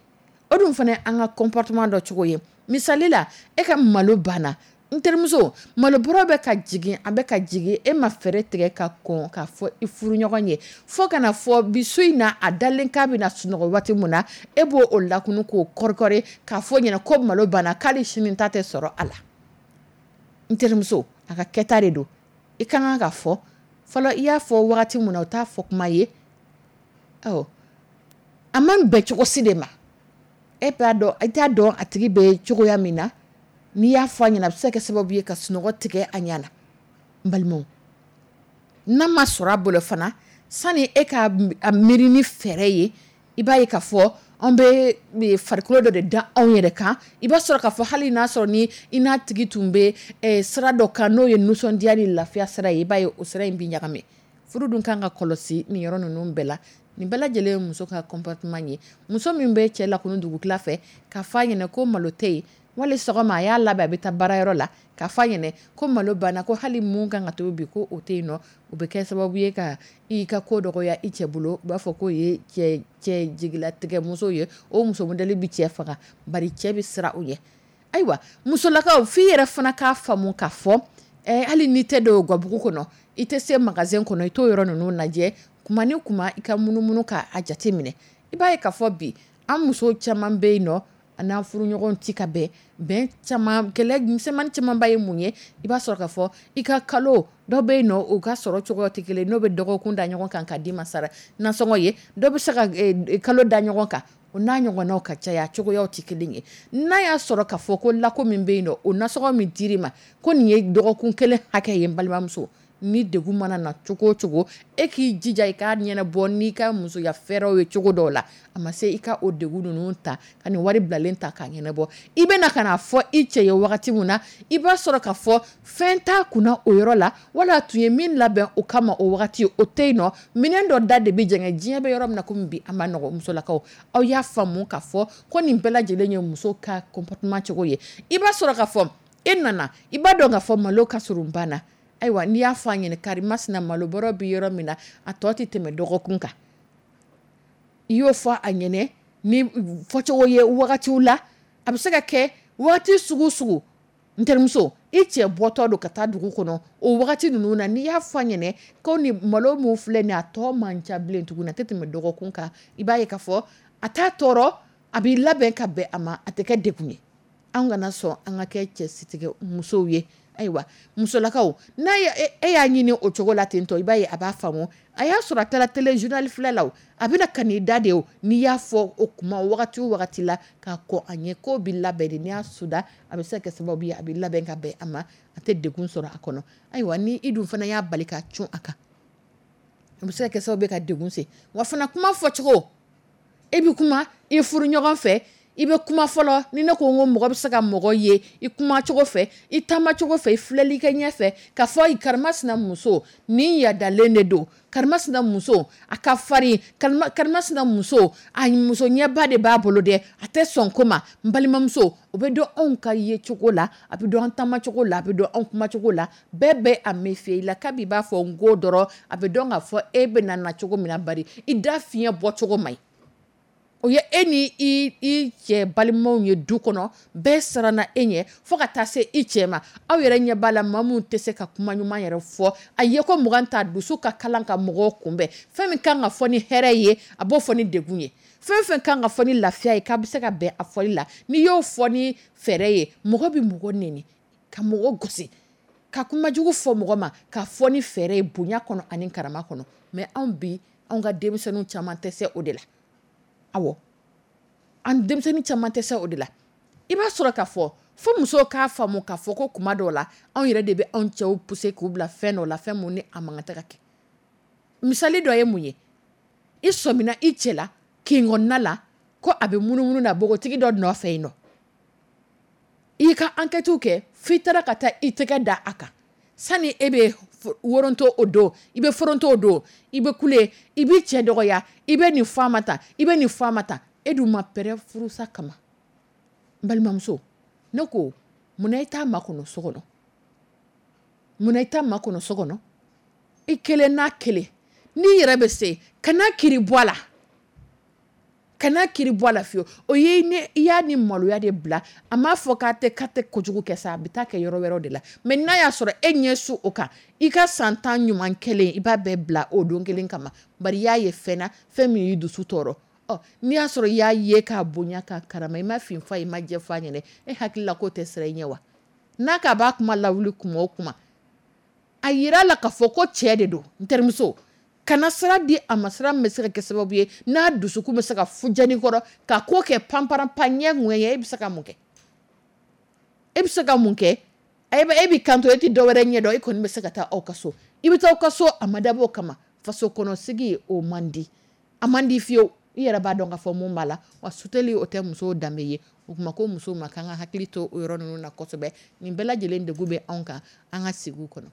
O dun fana an ka comportement dɔ cogo ye. Misali la, e ka malo banna, n terimuso, malo bɔrɔ bɛ ka jigin, a bɛ ka jigin, e ma fɛɛrɛ tigɛ ka kɔn k'a fɔ i furuɲɔgɔn ye, fo kana fɔ bi su in na a dalen k'a bɛna sunɔgɔ waati min na, e b'o o lakunu k'o kɔrikɔri k'a fɔ ɲɛna ko malo banna, k'ale sini ta tɛ sɔrɔ a la. N terimuso, a ka kɛta de don. I ka kan ka fɔ fɔlɔ, i y'a fɔ wagati min na, o t'a fɔ kuma ye. Awɔ, a man bɛn cogo si de ma. E b'a dɔn, i t'a dɔn a tigi bɛ cogoya min na. N'i y'a fɔ a ɲɛna, a bɛ se ka kɛ sababu ye ka sunɔgɔ tigɛ a ɲɛna. N balimaw, n'a ma sɔrɔ a bolo fana, sani e ka a miiri ni fɛɛrɛ ye, i b'a ye k'a fɔ an bɛ farikolo dɔ de da anw yɛrɛ kan. I b'a sɔrɔ k'a fɔ hali n'a sɔrɔ ni i n'a tigi tun bɛ sira dɔ kan, n'o ye nisɔndiya ni lafiya sira ye, i b'a ye o sira in bɛ ɲagami. Furu dun kan ka kɔlɔsi nin yɔrɔ ninnu bɛɛ la. Nin bɛɛ lajɛlen ye muso ka comportement ye. Muso min bɛ cɛ lakunu dugutila fɛ ka fɔ a ɲɛna ko malo tɛ yen, wali sɔgɔma a y'a labɛn a bɛ taa baarayɔrɔ la ka fɔ a ɲɛna ko malo banna, ko hali mun kan ka tobi bi ko o tɛ yen nɔ, o bɛ kɛ sababu ye ka i ka ko dɔgɔya i cɛ bolo. U b'a fɔ k'o ye cɛ jigilatigɛ muso ye, o muso modèle bɛ cɛ faga, bari cɛ bɛ siran o ɲɛ. Ayiwa musolakaw, f'i yɛrɛ fana k'a faamu k'a fɔ hali n'i tɛ don gabugu kɔnɔ, i tɛ se magasin kɔnɔ, i t'o yɔrɔ ninnu lajɛ kuma ni kuma, i ka munumunu k'a jate minɛ. I b'a ye k'a fɔ bi an muso caman bɛ yen nɔ, an n'an furuɲɔgɔn tɛ ka bɛn bɛn caman, kɛlɛ misɛnmanin camanba ye mun ye? I b'a sɔrɔ k'a fɔ i ka kalo dɔ bɛ yen nɔ, u ka sɔrɔ cogoya tɛ kelen, n'o bɛ dɔgɔkun da ɲɔgɔn kan ka d'i ma sara nasɔngɔ ye, dɔ bɛ se ka kalo da ɲɔgɔn kan, o n'a ɲɔgɔnnaw ka caya, cogoyaw tɛ kelen ye. N'a y'a sɔrɔ k'a fɔ ko lako min bɛ yen nɔ, o nasɔngɔ min dir'i ma ko nin ye dɔgɔkun kelen hakɛ ye, n balimamuso, ni degun mana na cogo o cogo, e k'i jija i k'a ɲɛnabɔ n'i ka musoya fɛɛrɛw ye cogo dɔw la. A ma se i ka o degun ninnu ta ka nin wari bilalen ta k'a ɲɛnabɔ. I bɛna ka n'a fɔ i cɛ ye wagati min na, i b'a sɔrɔ k'a fɔ fɛn t'a kunna o yɔrɔ la, wala a tun ye min labɛn o kama o wagati o tɛ yen nɔ. Minɛn dɔ da de bɛ jɛngɛ. Diɲɛ bɛ yɔrɔ min na komi bi, a ma nɔgɔ. Musolakaw, aw y'a faamu k'a fɔ ko nin bɛɛ lajɛlen ye muso ka comportement cogo ye. I b'a sɔrɔ k'a fɔ e nana, i b'a dɔn k'a fɔ malo ka surun ba na. Ayiwa n'i y'a fɔ a ɲɛna, karimasina malo bɔrɔ bɛ yɔrɔ min na, a tɔ tɛ tɛmɛ dɔgɔkun kan. I y'o fɔ a ɲɛna ni fɔcogo ye wagatiw la, a bɛ se ka kɛ wagati sugu sugu, n terimuso, i cɛ bɔtɔ don ka taa dugu kɔnɔ o wagati ninnu na, n'i y'a fɔ a ɲɛna ko ni malo min filɛ nin ye, a tɔ man ca bilen tuguni, a tɛ tɛmɛ dɔgɔkun kan, i b'a ye k'a fɔ a t'a tɔɔrɔ, a b'i labɛn ka bɛn a ma, a tɛ kɛ degun ye. An kana sɔn an ka kɛ cɛsitigɛ musow ye. Ayiwa musolakaw, n'a e y'a ɲini o cogo la ten tɔ, i b'a ye a b'a faamu. A y'a sɔrɔ a taara télé journal filɛ la, a bɛna ka n'i da de o, n'i y'a fɔ o kuma wagati o wagati la k'a kɔn a ɲɛ, k'o bɛ labɛn de, n'i y'a suda, a bɛ se ka kɛ sababu ye a bɛ labɛn ka bɛn a ma, a tɛ degun sɔrɔ a kɔnɔ. Ayiwa ni i dun fana y'a bali ka cun a kan, o bɛ se ka kɛ sababu ye ka degun se. Wa fana kuma fɔcogo, e bɛ kuma i furu ɲɔgɔn fɛ, i bɛ kuma fɔlɔ, ni ne ko n ko mɔgɔ bɛ se ka mɔgɔ ye i kuma cogo fɛ, i taama cogo fɛ, i filɛli kɛ ɲɛ fɛ, k'a fɔ karimasina muso nin yadalen de don, karimasina muso a ka farin, karimasina muso a muso ɲɛba de b'a bolo dɛ, a tɛ sɔn ko ma. N balimamuso, o bɛ dɔn anw ka ye cogo la, a bɛ dɔn an taama cogo la, a bɛ dɔn anw kuma cogo la. Bɛɛ bɛ a méfier i la, kabi i b'a fɔ n ko dɔrɔn, a bɛ dɔn k'a fɔ e bɛ na cogo min na, bari i da fiɲɛ bɔ cogo man ɲi. O ye e ni i cɛ balimaw ye du kɔnɔ, bɛɛ siranna e ɲɛ fo ka taa se i cɛ ma. Aw yɛrɛ ɲɛ b'a la, maa minnu tɛ se ka kuma ɲuman yɛrɛ fɔ, a ye ko mugan ta dusu ka kalan ka mɔgɔw kunbɛn. Fɛn min kan ka fɔ ni hɛrɛ ye, a b'o fɔ ni degun ye. Fɛn fɛn kan ka fɔ ni lafiya ye, k'a bɛ se ka bɛn a fɔli la, n'i y'o fɔ ni fɛɛrɛ ye, mɔgɔ bɛ mɔgɔ nɛni, ka mɔgɔ gosi, ka kumajugu fɔ mɔgɔ ma, ka fɔ ni fɛɛrɛ ye bonya kɔnɔ ani karama kɔnɔ. Mais anw bi, anw ka denmisɛnninw caman tɛ se o de la. Awɔ, an denmisɛnnin caman tɛ se o de la. I b'a sɔrɔ k'a fɔ fo musow k'a faamu k'a fɔ ko kuma dɔw la, anw yɛrɛ de bɛ anw cɛw pousser k'u bila fɛn dɔw la, fɛn mun ni a man kan tɛ ka kɛ. Misali dɔ ye mun ye? I sɔmina i cɛ la kin kɔnɔna la ko a bɛ munumunu na npogotigi dɔ nɔfɛ yen nɔ. I ka enquête kɛ f'i taara ka taa i tɛgɛ da a kan. Sani e bɛ woronto o don, i bɛ foronto o don, i bɛ kule, i b'i cɛ dɔgɔya, i bɛ nin fɔ a ma tan, i bɛ nin fɔ a ma tan. E dun ma pɛrɛn furusa kama. N balimamuso, ne ko munna i t'a makɔnɔ so kɔnɔ? Munna i t'a makɔnɔ so kɔnɔ? I kelen n'a kelen, n'i yɛrɛ bɛ se, kana kiri bɔ a la. Kana kiri bɔ a la fiyewu. O ye ne i y'a ni maloya de bila. A m'a fɔ k'a tɛ kojugu kɛ sa, a bɛ taa kɛ yɔrɔ wɛrɛw de la. Mais n'a y'a sɔrɔ e ɲɛ su o kan, i ka san 10 ɲuman kɛlen, i b'a bɛɛ bila o don kelen kama. Bari i y'a ye fɛn na, fɛn min y'i dusu tɔɔrɔ. Ɔ n'i y'a sɔrɔ i y'a ye k'a bonya k'a karama, i ma fin fɔ a ye, i ma jɛ fɔ a ɲɛna, e hakili la k'o tɛ siran i ɲɛ wa? N'a k'a b'a kuma lawuli kuma o kuma, a yira la k'a fɔ ko cɛ de don, n terimuso. Kana sira di a ma, sira min bɛ se ka kɛ sababu ye n'a dusukun bɛ se ka fujani kɔrɔ ka ko kɛ panparanpan ɲɛ ŋɛɲɛ. E bɛ se ka mun kɛ? E bɛ se ka mun kɛ? E b'i kanto, e tɛ dɔ wɛrɛ ɲɛ dɔn, e kɔni bɛ se ka taa aw ka so. I bɛ taa aw ka so, a ma dabɔ o kama. Faso kɔnɔ sigi o man di, a man di fiyewu. I yɛrɛ b'a dɔn k'a fɔ mun b'a la. Wa suteli o tɛ musow danbe ye. O tuma ko musow ma k'an ka hakili to o yɔrɔ ninnu na kosɛbɛ. Nin bɛɛ lajɛlen degun bɛ anw kan an ka sigiw kɔnɔ.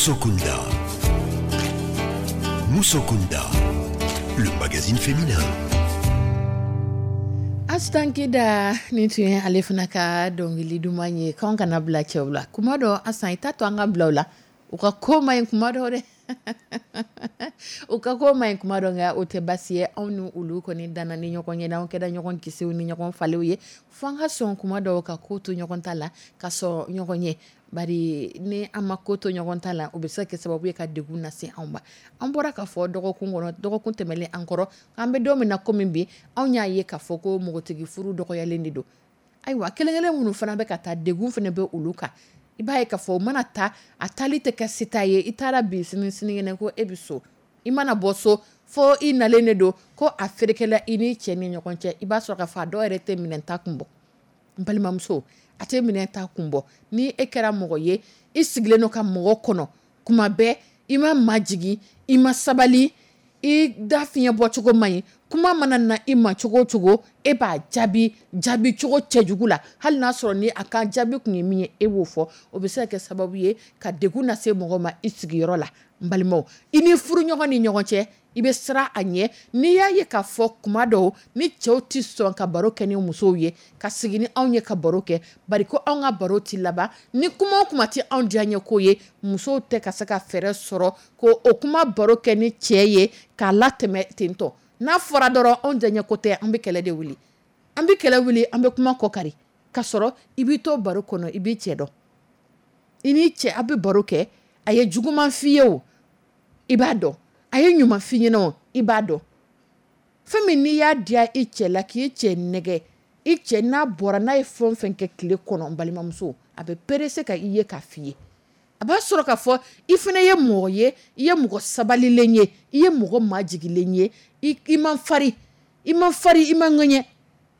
Musokunda. Musokunda, le magazine féminin. Astan Kida, nin tun ye ale fana ka dɔnkili duman ye k'anw kana bila cɛw la. Kuma dɔ, Asan, i t'a to an ka bila u la, u ka ko man ɲi kuma dɔ dɛ, u ka ko man ɲi kuma dɔ, nka o tɛ basi ye. Anw ni olu kɔni danna ni ɲɔgɔn ye, n'anw kɛra ɲɔgɔn kisiw ni ɲɔgɔn faliw ye, fo an ka sɔn kuma dɔw ka ko to ɲɔgɔn ta la, ka sɔn ɲɔgɔn ye. Bari ni an ma ko to ɲɔgɔn ta la, o bɛ se ka kɛ sababu ye ka degun lase anw ma. An bɔra k'a fɔ dɔgɔkun kɔnɔ, dɔgɔkun tɛmɛnen an kɔrɔ, an bɛ don min na komi bi, anw y'a ye k'a fɔ ko npogotigi furu dɔgɔyalen de don. Ayiwa, kelen kelen minnu fana bɛ ka taa, degun fana bɛ olu kan. I b'a ye k'a fɔ o mana taa, a taali tɛ kɛ seta ye. I taara bi, sini sinikɛnɛ ko e bɛ so. I mana bɔ so, fo i nalen de don ko a ferekela i ni cɛ ni ɲɔgɔn cɛ. I b'a sɔrɔ k'a fɔ a dɔw yɛrɛ tɛ minɛn ta kun bɔ. N balimamuso, a tɛ minɛn ta kun bɔ. Ni e kɛra mɔgɔ ye, i sigilen don ka mɔgɔ kɔnɔ kuma bɛɛ, i ma majigin, i ma sabali, i da fiɲɛ bɔcogo man ɲi, kuma mana na i ma cogo o cogo, e b'a jaabi jaabi cogo cɛjugu la, hali n'a sɔrɔ ni a ka jaabi kun ye min ye, e b'o fɔ. O bɛ se ka kɛ sababu ye ka degun lase mɔgɔ ma i sigiyɔrɔ la. N balimaw, i ni furuɲɔgɔn ni ɲɔgɔn cɛ, i bɛ siran a ɲɛ. N'i y'a ye k'a fɔ kuma dɔw ni cɛw tɛ sɔn ka baro kɛ ni musow ye, ka sigi ni anw ye ka baro kɛ, bari ko anw ka baro tɛ laban ni kuma o kuma tɛ anw diya ɲɛ ko ye, musow tɛ ka se ka fɛɛrɛ sɔrɔ ko o kuma baro kɛ ni cɛ ye k'a latɛmɛ tentɔ. N'a fɔra dɔrɔn anw diya ɲɛ ko tɛ, an bɛ kɛlɛ de wuli, an bɛ kɛlɛ wuli, an bɛ kuma kɔkari. Ka sɔrɔ i b'i to baro kɔnɔ, i b'i cɛ dɔn, i ni cɛ a bɛ baro kɛ, a ye juguman f'i ye o, i b'a dɔn, a ye ɲuman f'i ɲɛna o, i b'a dɔn. Fɛn min n'i y'a diya i cɛ la, k'i cɛ nɛgɛ I cɛ n'a bɔra, n'a ye fɛn o fɛn kɛ tile kɔnɔ, n balimamuso, a bɛ pressé ka i ye k'a f'i ye. A b'a sɔrɔ k'a fɔ i fana ye mɔgɔ ye, i ye mɔgɔ sabalilen ye, i ye mɔgɔ majigilen ye, i man farin, i man farin, i man ŋɛɲɛ.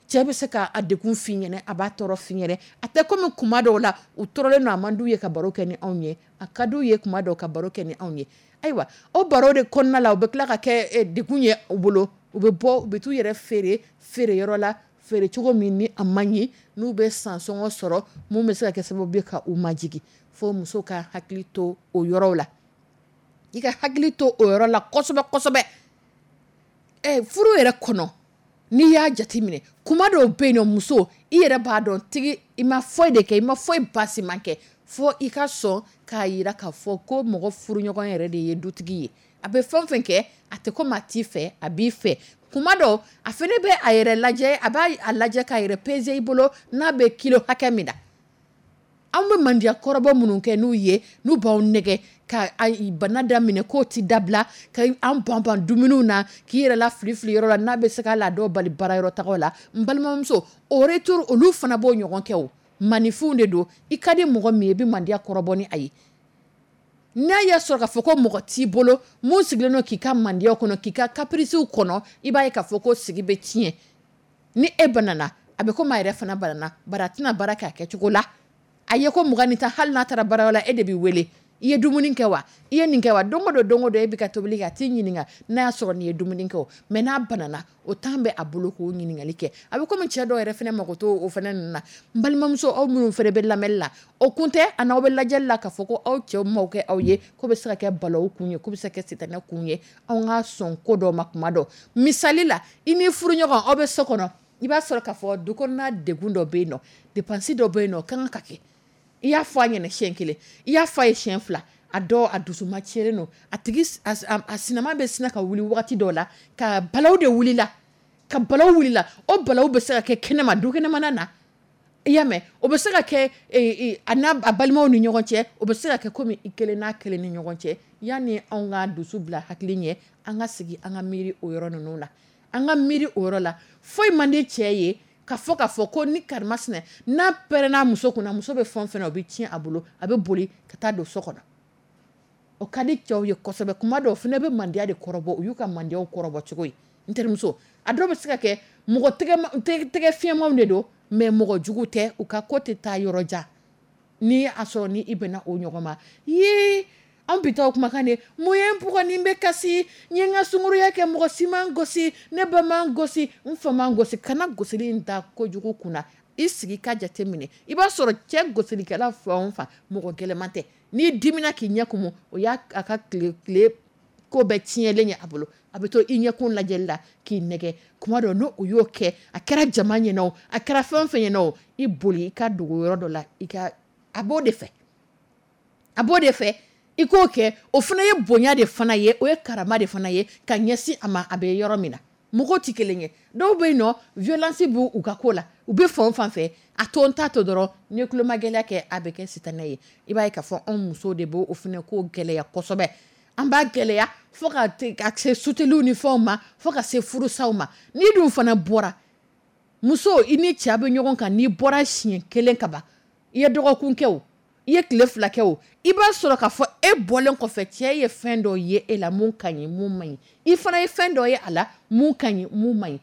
Cɛ bɛ se k'a degun f'i ɲɛna, a b'a tɔɔrɔ f'i ɲɛna. A tɛ comme kuma dɔw la u tɔɔrɔlen don, a man d'u ye ka baro kɛ ni anw ye, a ka d'u ye kuma dɔw ka baro kɛ ni anw ye. Ayiwa, o baro de kɔnɔna la, u bɛ tila ka kɛ degun ye u bolo. U bɛ bɔ, u bɛ t'u yɛrɛ feere feereyɔrɔ la, feere cogo min ni a man ɲi, n'u bɛ sansɔngɔ sɔrɔ mun bɛ se ka kɛ sababu ye ka u majigin. Fo muso ka hakili to o yɔrɔw la, i ka hakili to o yɔrɔ la kosɛbɛ kosɛbɛ. Furu yɛrɛ kɔnɔ, n'i y'a jateminɛ, kuma dɔw bɛ yen nɔ, muso, i yɛrɛ b'a dɔn tigi, i ma foyi de kɛ, i ma foyi basiman kɛ, fo i ka sɔn k'a jira k'a fɔ ko mɔgɔ furuɲɔgɔn yɛrɛ de ye dutigi ye. A bɛ fɛn o fɛn kɛ, a tɛ komi a t'i fɛ, a b'i fɛ. Kuma dɔw a fana bɛ a yɛrɛ lajɛ, a b'a lajɛ k'a yɛrɛ peser i bolo n'a bɛ kilo hakɛ min na. Anw bɛ mandiya kɔrɔbɔ minnu kɛ n'u ye, n'u b'aw nɛgɛ ka bana daminɛ k'o tɛ dabila, ka an ban ban dumuniw na, k'i yɛrɛ la fili fili yɔrɔ la, n'a bɛ se ka la dɔw bali baara yɔrɔ tagaw la. N balimamuso, au retour olu fana b'o ɲɔgɔn kɛ. O maninfinw de don. I ka di mɔgɔ min ye, i bɛ mandiya kɔrɔbɔ ni a ye. N'a y'a sɔrɔ k'a fɔ ko mɔgɔ t'i bolo mun sigilen don k'i ka mandiya kɔnɔ, k'i ka capricew kɔnɔ, i b'a ye k'a fɔ ko sigi bɛ tiɲɛ. Ni e banana, a bɛ komi a yɛrɛ fana banana, bari a tɛna baara kɛ a kɛcogo la. A ye ko 20 ni 10, hali n'a taara baarayɔrɔ la, e de bɛ wele. I ye dumuni kɛ wa? I ye nin kɛ wa? Don o don, don o don, e bɛ ka tobili kɛ, a t'i ɲininka n'a y'a sɔrɔ nin ye dumuni kɛ o. Mais n'a banana, o temps bɛ a bolo k'o ɲininkali kɛ. A bɛ komi cɛ dɔw yɛrɛ fana mago t'o o fana ninnu na. N balimamuso, aw minnu fana bɛ lamɛnli la, o kun tɛ a n'aw bɛ lajɛli la k'a fɔ ko aw cɛw m'aw kɛ aw ye, k'o bɛ se ka kɛ balawu kun ye, k'o bɛ se ka kɛ sitanɛ kun ye. Anw ka sɔn ko dɔw ma kuma dɔw. Misali la, i ni furuɲɔgɔn, aw bɛ so kɔnɔ, i b'a sɔrɔ k'a fɔ du kɔnɔna degun dɔ bɛ yen nɔ, dépense dɔ bɛ yen nɔ, o kan ka kɛ. I y'a fɔ a ɲɛna siɲɛ kelen, i y'a fɔ a ye siɲɛ fila, a dɔw a dusuma tiɲɛnen don, a tigi a sinama bɛ sina ka wuli wagati dɔw la, ka balawu de wuli la, ka balawu wuli la. O balawu bɛ se ka kɛ kɛnɛma, du kɛnɛmana na, i y'a mɛn, o bɛ se ka kɛ a n'a a balimaw ni ɲɔgɔn cɛ, o bɛ se ka kɛ komi i kelen n'a kelen ni ɲɔgɔn cɛ. Yanni anw ka dusu bila hakili ɲɛ, an ka sigi, an ka miiri o yɔrɔ ninnu la, an ka miiri o yɔrɔ la. Foyi man di cɛ ye ka fɔ k'a fɔ ko ni karimasina n'a pɛrɛnna muso kunna, muso bɛ fɛn o fɛn na, o bɛ tiɲɛ a bolo, a bɛ boli ka taa don so kɔnɔ. O ka di cɛw ye kosɛbɛ. Kuma dɔw fana bɛ mandiya de kɔrɔbɔ, u y'u ka mandiyaw kɔrɔbɔ cogo ye. N terimuso, a dɔw bɛ se ka kɛ mɔgɔ tɛgɛ fiɲɛmanw de don, mais mɔgɔ jugu tɛ, u ka ko tɛ taa yɔrɔ jan. N'i y'a sɔrɔ ni i bɛnna o ɲɔgɔn ma, yee, an bi taa o kumakan de, mun ye n bugɔ ni n bɛ kasi, n ye n ka sunkuruya kɛ, mɔgɔ si ma n gosi, ne ba ma n gosi, n fa ma n gosi. Kana gosili in da kojugu kunna, i sigi ka jate minɛ. I b'a sɔrɔ cɛ gosilikɛla fan o fan, mɔgɔ gɛlɛman tɛ. N'i dimina k'i ɲɛ kumu, o y'a a ka tile ko bɛɛ tiɲɛlen ye a bolo. A bɛ to i ɲɛkun lajɛli la k'i nɛgɛ. Kuma dɔ n'o o y'o kɛ, a kɛra jama ɲɛna o, a kɛra fɛn o fɛn ɲɛna o, i boli i ka dogo yɔrɔ dɔ la, i ka a b'o de fɛ, a b'o de fɛ, i k'o kɛ. O fana ye bonya de fana ye, o ye karama de fana ye ka ɲɛsin a ma, a bɛ yɔrɔ min na. Mɔgɔw tɛ kelen ye. Dɔw bɛ yen nɔ, violence b'u u ka ko la, u bɛ fan o fan fɛ, a to n ta to dɔrɔn, n'i ye tulomagɛlɛya kɛ, a bɛ kɛ sitanɛ ye. I b'a ye k'a fɔ anw musow de b'o fana ko gɛlɛya kosɛbɛ. An b'a gɛlɛya fo ka se suteliw ni fɛnw ma, fo ka se furusaw ma. N'i dun fana bɔra, muso, i ni cɛ bɛ ɲɔgɔn kan, n'i bɔra siɲɛ kelen ka ban, i ye dɔgɔkun kɛ o, i ye tile 2 kɛ o, i b'a sɔrɔ k'a fɔ e bɔlen kɔfɛ, cɛ ye fɛn dɔ ye e la mun ka ɲi, mun man ɲi. I fana ye fɛn dɔ ye a la mun ka ɲi, mun man ɲi.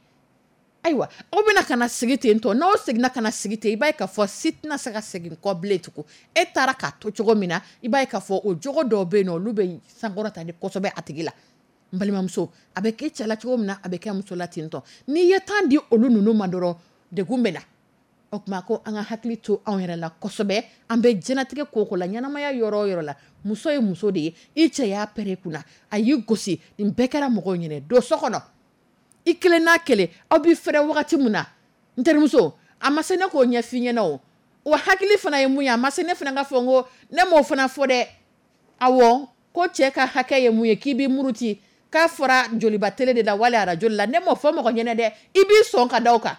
Ayiwa, aw bɛna ka na sigi ten tɔ. N'aw seginna ka na sigi ten, i b'a ye k'a fɔ si tɛna se ka segin kɔ bilen tugun. E taara k'a to cogo min na, i b'a ye k'a fɔ o jogo dɔw bɛ yen nɔ, olu bɛ sankɔrɔta de kosɛbɛ a tigi la. N balimamuso, a bɛ kɛ cɛ la cogo min na, a bɛ kɛ muso la ten tɔ. N'i ye temps di olu ninnu ma dɔrɔn, degun bɛ na. O tuma ko an ka hakili to anw yɛrɛ la kosɛbɛ. An bɛ diɲɛlatigɛ ko o ko la, ɲɛnamaya yɔrɔ o yɔrɔ la, muso ye muso de ye. I cɛ y'a pɛrɛn i kunna, a y'i gosi, nin bɛɛ kɛra mɔgɔw ɲɛna. Don so kɔnɔ, i kelen n'a kelen, aw bɛ fɛrɛ wagati min na, n terimuso, a ma se ne k'o ɲɛf'i ɲɛna o. O hakili fana ye mun ye, a ma se ne fana ka fɔ n ko ne m'o fana fɔ dɛ. Awɔ, ko cɛ ka hakɛ ye mun ye, k'i b'i muruti, k'a fɔra joliba télé de la wali arajo la, ne m'o fɔ mɔgɔ ɲɛna dɛ. I b'i sɔn ka da o kan,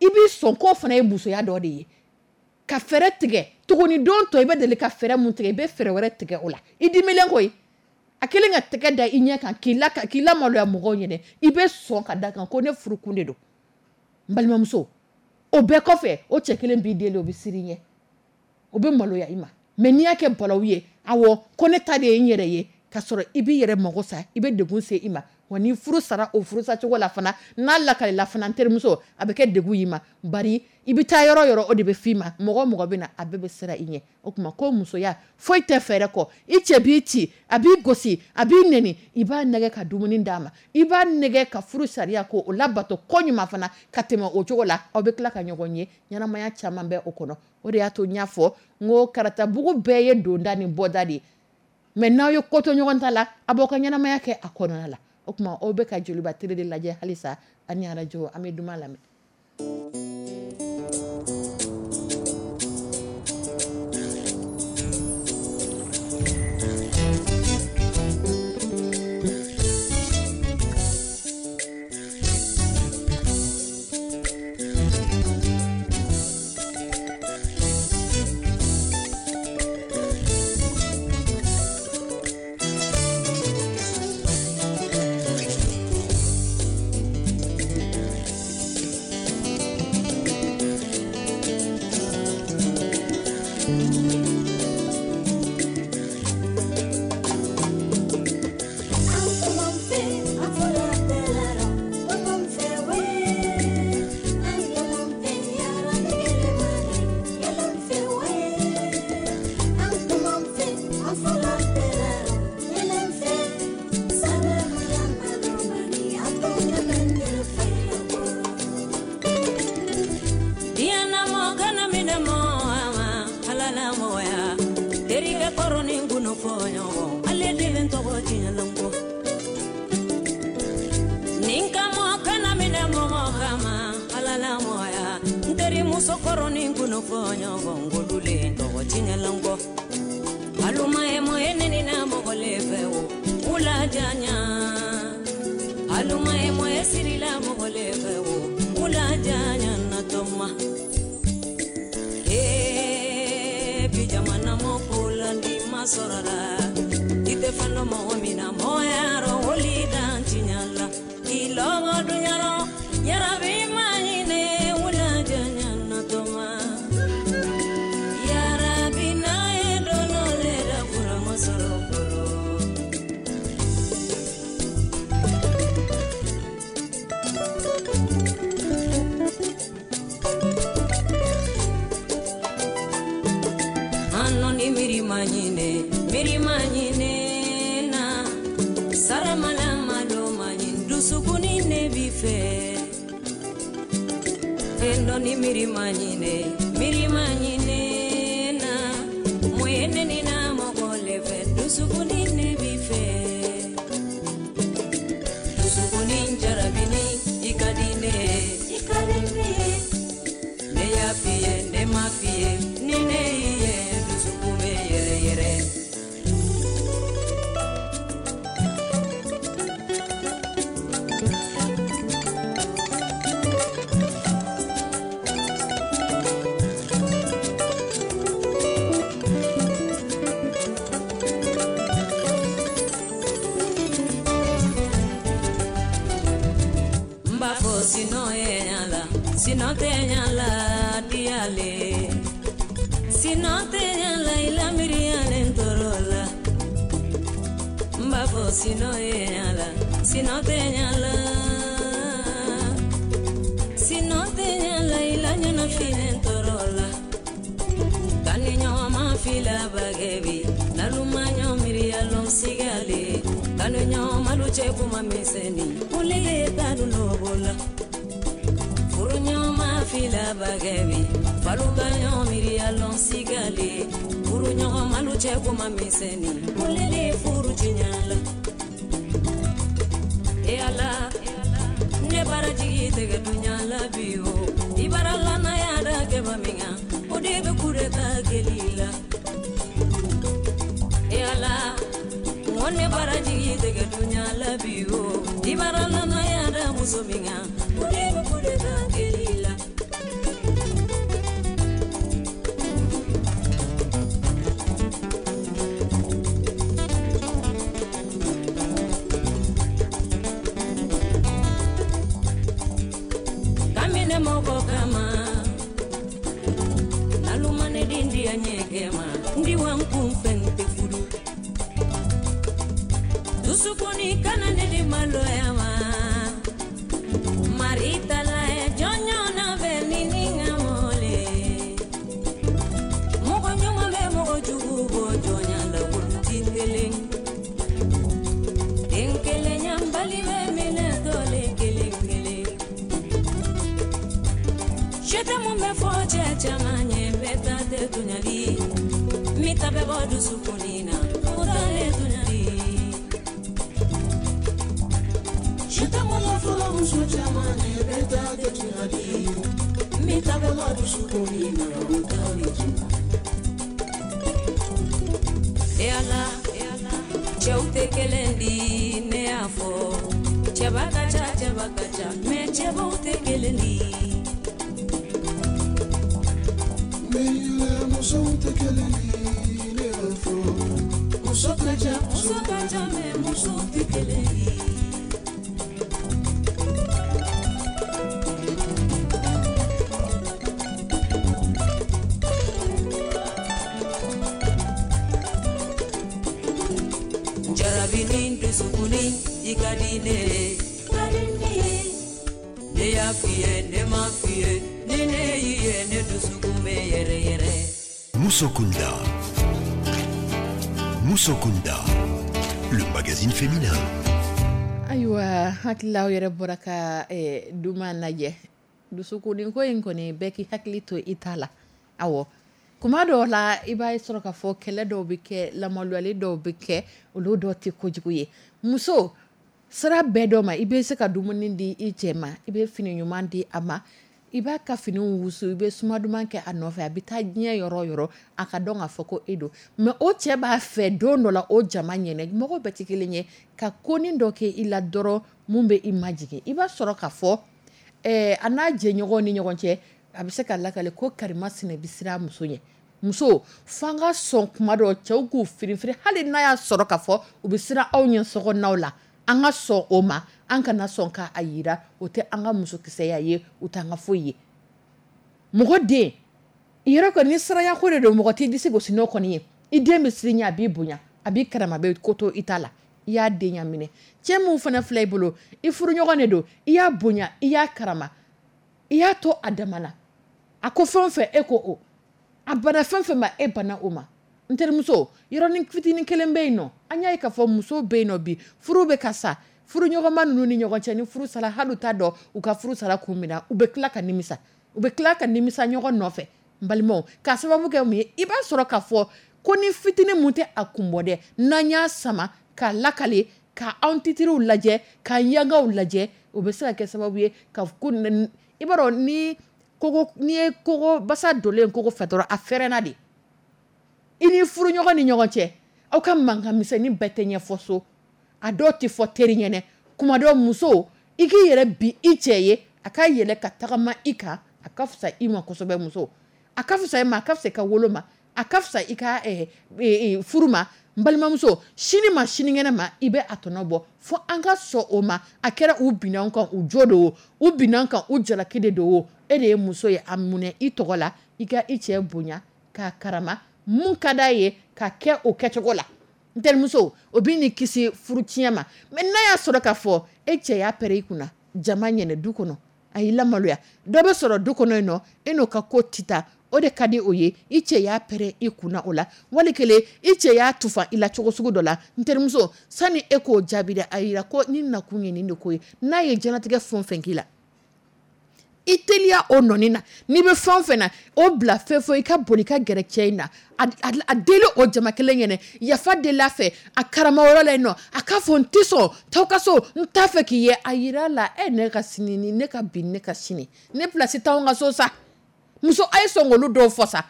i b'i sɔn k'o fana ye musoya dɔ de ye. Ka fɛɛrɛ tigɛ tuguni, don tɔ i bɛ deli ka fɛɛrɛ mun tigɛ, i bɛ fɛɛrɛ wɛrɛ tigɛ o la. I dimilen koyi, a kelen ka tɛgɛ da i ɲɛ kan k'i lamaloya mɔgɔw ɲɛna, i bɛ sɔn ka da kan ko ne furukun de don. N balimamuso, O bɛɛ kɔfɛ, o cɛ kelen b'i deli, o bɛ siran i ɲɛ, o bɛ maloya i ma. Mais n'i y'a kɛ balawu ye, awɔ, ko ne ta de ye n yɛrɛ ye, ka sɔrɔ i b'i yɛrɛ mago sa, i bɛ degun se i ma. Wa ni furu sara o furusacogo la fana, n'a lakalila fana, n terimuso, a bɛ kɛ degun y'i ma. Bari i bɛ taa yɔrɔ yɔrɔ, o de bɛ f'i ma. Mɔgɔ o mɔgɔ bɛ na, a bɛɛ bɛ siran i ɲɛ. O tuma ko musoya foyi tɛ fɛɛrɛ kɔ. I cɛ b'i ci, a b'i gosi, a b'i nɛni, i b'a nɛgɛ ka dumuni d'a ma, i b'a nɛgɛ ka furu sariya ko o labato ko ɲuman fana ka tɛmɛ o cogo la. Aw bɛ tila ka ɲɔgɔn ye, ɲɛnamaya caman bɛ o kɔnɔ. O de y'a to n y'a fɔ n ko karatabugu bɛɛ ye donda ni bɔda de ye. Mais n'aw ye ko to ɲɔgɔn ta la, a b'aw ka ɲɛnamaya kɛ a kɔnɔna la. O tuma aw bɛ ka Joliba télé de lajɛ halisa ani arajo. An bɛ duman lamɛn. Kamine mɔgɔ kama. kɛ ma ndiwan kun fɛn tɛ furu dusukuni kana ne di maloya ma marita la ye jɔnjɔn na bɛ ni ni ŋa mɔle mɔgɔ ɲuman bɛ mɔgɔ jugu bɔ jɔnya la olu ti kelen den kelen ɲanbali bɛ minɛ tɔle kelen kelen sɛtɛ mun bɛ fɔ cɛ caman ye bɛɛ ta tɛ tɔɲɔli min ta bɛ bɔ dusukuni na o ta tɛ tɔɲɔli Sɛtɛ mun bɛ fɔ muso caman ye bɛɛ ta tɛ tɔɲɔli min ta bɛ bɔ dusukuni na o ta tɛ tɔɲɔli. E Ala, cɛw tɛ kelen di ne y'a fɔ cɛba ka ca cɛba ka ca mɛ cɛbaw tɛ kelen di. Meyile musow tɛ kelen ye ne y'a fɔ muso ka ca muso ka ca mɛ musow tɛ kelen ye. Jarabini dusukuni i ka di ne ye ka di ne ye ne y'a f'i ye ne ma f'i ye ni ne y'i ye ne dusukun bɛ yɛrɛ yɛrɛ. Musokunda. Musokunda. Le magazine féminin. Ayiwa, hakili aw yɛrɛ bɔra ka duman lajɛ dusukuni ko in kɔni bɛɛ k'i hakili to i ta la. Awɔ, kuma dɔw la i b'a sɔrɔ k'a fɔ kɛlɛ dɔw bɛ kɛ, lamaluyali dɔw bɛ kɛ, olu dɔw tɛ kojugu ye. Muso sira bɛɛ dɔ ma, i bɛ se ka dumuni di i cɛ ma, i bɛ fini ɲuman di a ma, i b'a ka fini wusu, i bɛ suma duman kɛ a nɔfɛ, a bɛ taa diɲɛ yɔrɔ o yɔrɔ a ka dɔn k'a fɔ ko e don. Mɛ o cɛ b'a fɛ don dɔ la o jama ɲɛnɛ, mɔgɔw bɛɛ tɛ kelen ye, ka konin dɔ kɛ i la dɔrɔn mun bɛ i majigin. I b'a sɔrɔ k'a fɔ a n'a jɛɲɔgɔn ni ɲɔgɔn cɛ, a bɛ se ka lakale ko karimasina bɛ siran muso ɲɛ. Muso f'an ka sɔn kuma dɔ cɛw k'u firinfirin, hali n'a y'a sɔrɔ k'a fɔ u bɛ siran aw ɲɛ sokɔnɔnaw la, an ka sɔn o ma, an kana sɔn k'a yira, o tɛ an ka musokisɛya ye, o t'an ka foyi ye. Mɔgɔ den i yɛrɛ kɔni ni siranya ko de don, mɔgɔ t'i disi gosi n'o kɔni ye. I den bɛ siran ɲɛ, a b'i bonya, a b'i karama, a bɛ ko to i ta la, i y'a den ɲɛ minɛ. Cɛ mun fana filɛ i bolo, i furuɲɔgɔn de don, i y'a bonya, i y'a karama, i y'a to a dama na. A ko fɛn o fɛn e ko o, a bana fɛn fɛn ma e bana o ma. N terimuso, yɔrɔnin fitinin kelen bɛ yen nɔ, an y'a ye k'a fɔ muso bɛ yen nɔ bi, furu bɛ ka sa, furuɲɔgɔnma ninnu ni ɲɔgɔn cɛ, ni furu sara hali u t'a dɔn u ka furu sara kun min na, u bɛ tila ka nimisa, u bɛ tila ka nimisa ɲɔgɔn nɔfɛ. N balimaw, k'a sababu kɛ mun ye, i b'a sɔrɔ k'a fɔ ko ni fitinin mun tɛ a kun bɔ dɛ, n'an y'a sama k'a lakale, ka anw titiriw lajɛ, ka yangaw lajɛ, o bɛ se ka kɛ sababu ye ka ko i b'a dɔn ni kogo, n'i ye kogo basa donlen kogo fɛ dɔrɔn a fɛrɛnna de. I ni furuɲɔgɔn ni ɲɔgɔn cɛ, aw ka mankan misɛnnin bɛɛ tɛ ɲɛfɔ so, a dɔw tɛ fɔ teri ɲɛnɛ. Kuma dɔ muso, i k'i yɛrɛ bi i cɛ ye, a ka yɛlɛ ka tagama i kan, a ka fisa i ma kosɛbɛ. Muso, a ka fisa i ma, a ka fisa i ka wolo ma, a ka fisa i ka furu ma. N balimamuso, sini ma sinikɛnɛ ma, i bɛ a tɔnɔ bɔ. Fo an ka sɔn o ma. A kɛra u binna an kan u jo don o, u binna an kan u jalaki de don o, e de ye muso ye, a munɛ i tɔgɔ la, i ka i cɛ bonya k'a karama, mun ka d'a ye ka kɛ o kɛcogo la. N terimuso, o bɛ n'i kisi furu tiɲɛ ma. Mɛ n'a y'a sɔrɔ k'a fɔ e cɛ y'a pɛrɛn i kunna jama ɲɛnɛ du kɔnɔ, a y'i lamaloya, dɔ bɛ sɔrɔ du kɔnɔ yen nɔ, e n'o ka ko tɛ taa, o de ka di o ye, i cɛ y'a pɛrɛn i kunna o la, wali kelen i cɛ y'a tufa i la cogo sugu dɔ la. N terimuso, sani e k'o jaabi dɛ, a yira ko ni nakun ye nin de ko ye. N'a ye diɲɛlatigɛ fɛn o fɛn k'i la, i teliya o nɔni na, n'i bɛ fɛn o fɛn na, o bila fɛn fɛn, i ka boli i ka gɛrɛ cɛ in na, a deli o jama kelen ɲɛnɛ, yafa deli a fɛ, a karama yɔrɔ la yen nɔ, a k'a fɔ n tɛ sɔn, t'aw ka so, n t'a fɛ k'i ye. A yira la, ne ka sini ni ne ka bi ne ka sini, ne place t'anw ka so sa. Muso, a ye sɔn k'olu dɔw fɔ sa.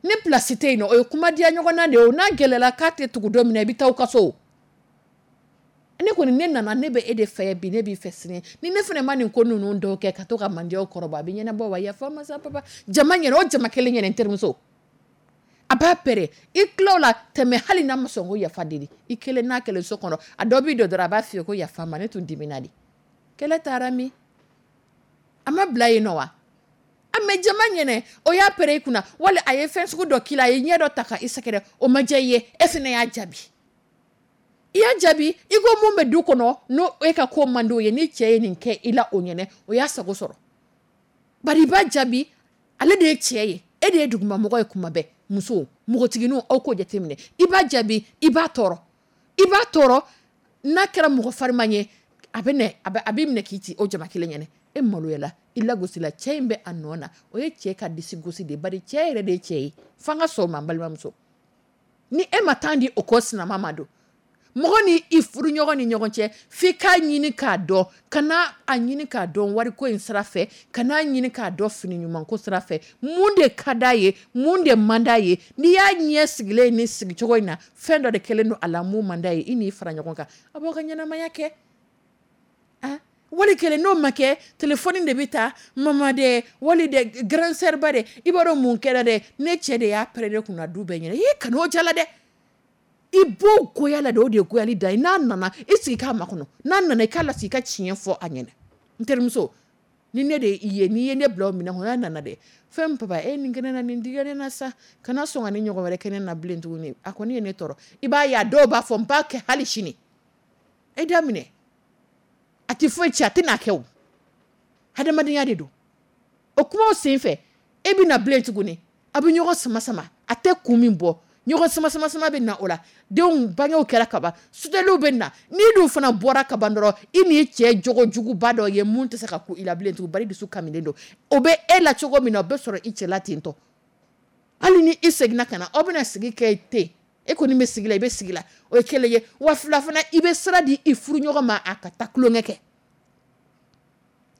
Ne place tɛ yen nɔ, o ye kuma diya ɲɔgɔn na de ye o. N'a gɛlɛyara k'a tɛ tugu don min na, i bɛ taa aw ka so. Ne kɔni, ne nana, ne bɛ e de fɛ bi, ne b'i fɛ sini. Ni ne fana ma nin ko ninnu dɔw kɛ ka to ka mandiyaw kɔrɔbɔ, a bɛ ɲɛnabɔ wa? Yafa masa papa. Jama ɲɛna, o jama kelen ɲɛna, n terimuso. A b'a pɛrɛ. I tila o la, tɛmɛ hali n'a ma sɔn ko yafa deli. I kelen n'a kelen so kɔnɔ, a dɔ b'i don dɔrɔn, a b'a f'i ye ko yafa ma, ne tun dimina de. Kɛlɛ taara min? A ma bila yen nɔ wa? A mɛ Mais jama ɲɛnɛ, o y'a pɛrɛn i kunna, wali a ye fɛn sugu dɔ k'i la, a ye ɲɛ dɔ ta ka i sɛgɛrɛ, o ma diya i ye, e fana y'a jaabi. I y'a jaabi i ko mun bɛ du kɔnɔ, n'o e ka ko man d'o ye, ni cɛ ye nin kɛ i la o ɲɛnɛ, o y'a sago sɔrɔ. Bari i b'a jaabi, ale de ye cɛ ye, e de ye dugumamɔgɔ ye kuma bɛɛ. Muso, npogotigininw, aw k'o jateminɛ. I b'a jaabi, i b'a tɔɔrɔ. I b'a tɔɔrɔ, n'a kɛra mɔgɔ fariman ye, a bɛ na, a b'i minɛ k'i ci o jama kelen ɲɛnɛ. E maloyala, i lagosila, cɛ in bɛ a nɔ na. O ye cɛ ka disi gosi de ye, bari cɛ yɛrɛ de ye cɛ ye. F'an ka sɔn o ma, n balimamuso. Ni e ma temps di o ko sinama ma don, mɔgɔ ni i furuɲɔgɔn ni ɲɔgɔn cɛ, f'i k'a ɲini k'a dɔn, kana a ɲini k'a dɔn wariko in sira fɛ, kana ɲini k'a dɔn fini ɲumanko sira fɛ, mun de ka d'a ye, mun de man d'a ye. N'i y'a ɲɛ sigilen ni sigicogo in na, fɛn dɔ de kɛlen don a la mun man d'a ye, i n'i fara ɲɔgɔn kan, a b'aw ka ɲɛnamaya kɛ. Ah, wali kelen n'o ma kɛ, telefɔni de bɛ ta, mama dɛ, wali dɛ, grand sœur ba dɛ, i b'a dɔn mun kɛra dɛ, ne cɛ de y'a pɛrɛn ne kunna du bɛɛ ɲɛna. I kan'o jala dɛ. I b'o goya la de, o de ye goyali dan ye. N'a nana, i sigi k'a makɔnɔ. N'a nana, i k'a lasigi, i ka tiɲɛ fɔ a ɲɛna. N terimuso, ni ne de i ye, n'i ye ne bila o minɛn kɔnɔ, n'a nana dɛ, fɛn papa, e nin kɛ ne na, nin digira ne na sa, kana sɔn ka ni ɲɔgɔn wɛrɛ kɛ ne na bilen tuguni. A kɔni ye ne tɔɔrɔ. I b'a ye a dɔw b'a fɔ n b'a kɛ hali sini. E da minɛ. A tɛ foyi ci, a tɛ n'a kɛ o. Hadamadenya de don. O kumaw sen fɛ, e bɛ na bilen tuguni. A bɛ ɲɔgɔn sama sama. A tɛ kun min bɔ. Ɲɔgɔn sama sama sama bɛ na o la. Denw bangew kɛra kaban, suteliw bɛ na. N'i dun fana bɔra kaban dɔrɔn, i n'i cɛ jogojuguba dɔ ye mun tɛ se ka ku i la bilen tugun, bari dusu kaminen don. O bɛ e la cogo min na, o bɛ sɔrɔ i cɛ la ten tɔ. Hali ni i seginna ka na, aw bɛna sigi kɛ ten. E kɔni bɛ sigi la, i bɛ sigi la. O ye kelen ye. Wa fila fana, i bɛ sira di i furuɲɔgɔn ma a ka taa tulonkɛ kɛ.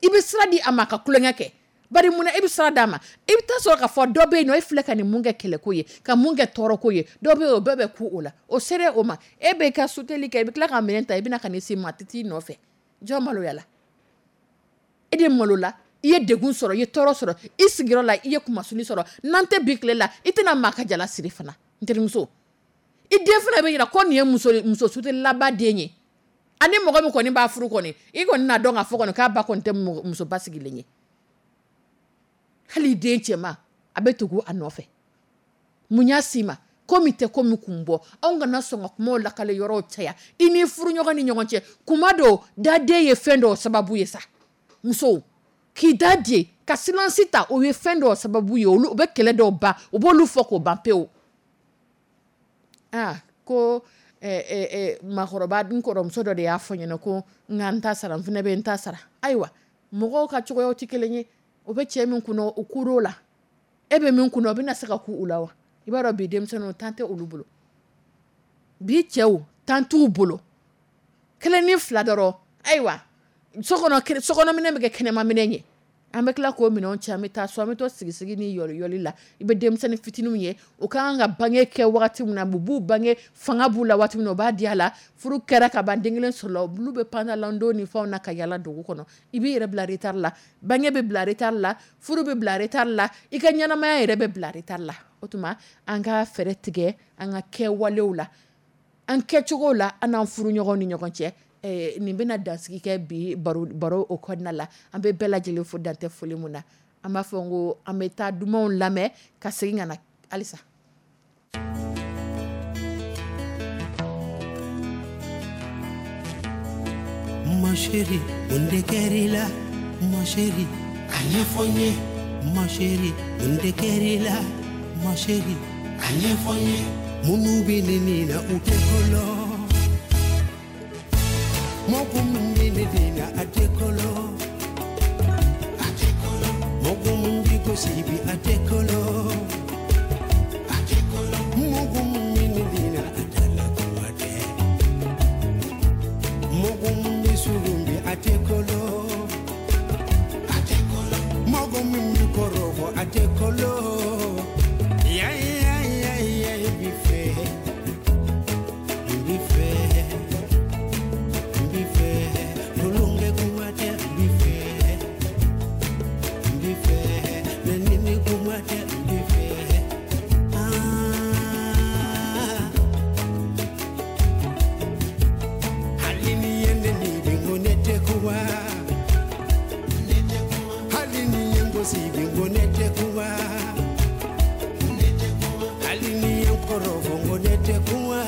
I bɛ sira di a ma a ka tulonkɛ kɛ. Bari munna e bɛ sira d'a ma? I bɛ taa sɔrɔ k'a fɔ dɔ bɛ yen nɔ, e filɛ ka nin mun kɛ kɛlɛko ye, ka mun kɛ tɔɔrɔko ye, dɔ bɛ yen o bɛɛ bɛ ku o la. O sera o ma, e bɛ ka suteli kɛ, i bɛ tila ka minɛn ta, i bɛna ka n'i se maa tɛ t'i nɔfɛ. Jɔn maloyala? E de malola, i ye degun sɔrɔ, i ye tɔɔrɔ sɔrɔ, i sigiyɔrɔ la, i ye kumasuli sɔrɔ. N'an tɛ bi tile la, i tɛna maa ka jala siri fana, n terimuso. I den fana bɛ yira ko nin ye muso sutelilaba den ye. Ani mɔgɔ min kɔni b'a furu kɔni, i kɔni n'a dɔn k'a fɔ kɔni k'a ba kɔni tɛ muso basigilen ye. Hali den cɛman, a bɛ tugu a nɔfɛ. Mun y'a s'i ma? Ko min tɛ ko min kun bɔ. Anw kana sɔn ka kumaw lakale yɔrɔw caya. I ni furuɲɔgɔn ni ɲɔgɔn cɛ, kuma dɔw daden ye fɛn dɔw sababu ye sa. Musow, k'i da di, ka silence ta, o ye fɛn dɔw sababu ye. Olu, u bɛ kɛlɛ dɔw ban, u b'olu fɔ k'o ban pewu. Ah, ko, maakɔrɔba, n kɔrɔmuso dɔ de y'a fɔ n ɲɛna ko n ka n ta sara, n fana bɛ n ta sara. Ayiwa, mɔgɔw ka cogoyaw tɛ kelen ye. O bɛ cɛ min kunna, o kur'o la. E bɛ min kunna, o bɛna se ka ku u la wa? I b'a dɔn bi denmisɛnninw, temps tɛ olu bolo. Bi cɛw, temps t'u bolo. Kelen ni fila dɔrɔn, ayiwa, sokɔnɔminɛ bɛ kɛ kɛnɛmaminɛ ye. An bɛ tila k'o minɛnw cɛ, an bɛ taa so, an bɛ to sigi-sigi ni yɔli-yɔli la. I bɛ denmisɛnnin fitininw ye, u ka kan ka bange kɛ wagati min na, u b'u bange, fanga b'u la waati min na, u b'a di a la. Furu kɛra ka ban, den kelen sɔrɔla, olu bɛ pantalon ni fɛnw na ka yala dugu kɔnɔ. I b'i yɛrɛ bila retard la, bange bɛ bila retard la, furu bɛ bila retard la, i ka ɲɛnamaya yɛrɛ bɛ bila retard la. O tuma, an ka fɛɛrɛ tigɛ an ka kɛwalew la, an kɛcogo la, an n'an furuɲɔgɔnw ni ɲɔgɔn cɛ. Nin bɛna dansigi kɛ bi baro o kɔnɔna la. An bɛ bɛɛ lajɛlen fo dantɛ foli mun na. An b'a fɔ n ko an bɛ taa dumanw lamɛn ka segin ka na halisa. Ma chérie, mun de kɛr'i la? Ma chérie, a ɲɛfɔ n ye. Ma chérie, mun de kɛr'i la? Ma chérie, a ɲɛfɔ n ye. Minnu bɛ ne nin na, u tɛ kolo. Mɔgɔ min bɛ ne den na, a tɛ kolo. A tɛ kolo. Mɔgɔ min bɛ gosi bi, a tɛ kolo. A tɛ kolo. Mɔgɔ min bɛ ne den na, a tɛ la kuma tɛ. Mɔgɔ min bɛ surun bi, a tɛ kolo. A tɛ kolo. Mɔgɔ min bɛ kɔrɔbɔ, a tɛ kolo. Ya, ya, ya, ya, bi fɛ. Bi fɛ. Bi fɛ. Tulonge kuma tɛ, bi fɛ. Bi fɛ. Nɛnini kuma tɛ, bi fɛ. Ah. Hali ni ye nɛni bi, n ko ne tɛ kuma. Hali ni ye n gosi bi, n ko ne tɛ kɔrɔfɔ ko ne tɛ kuma.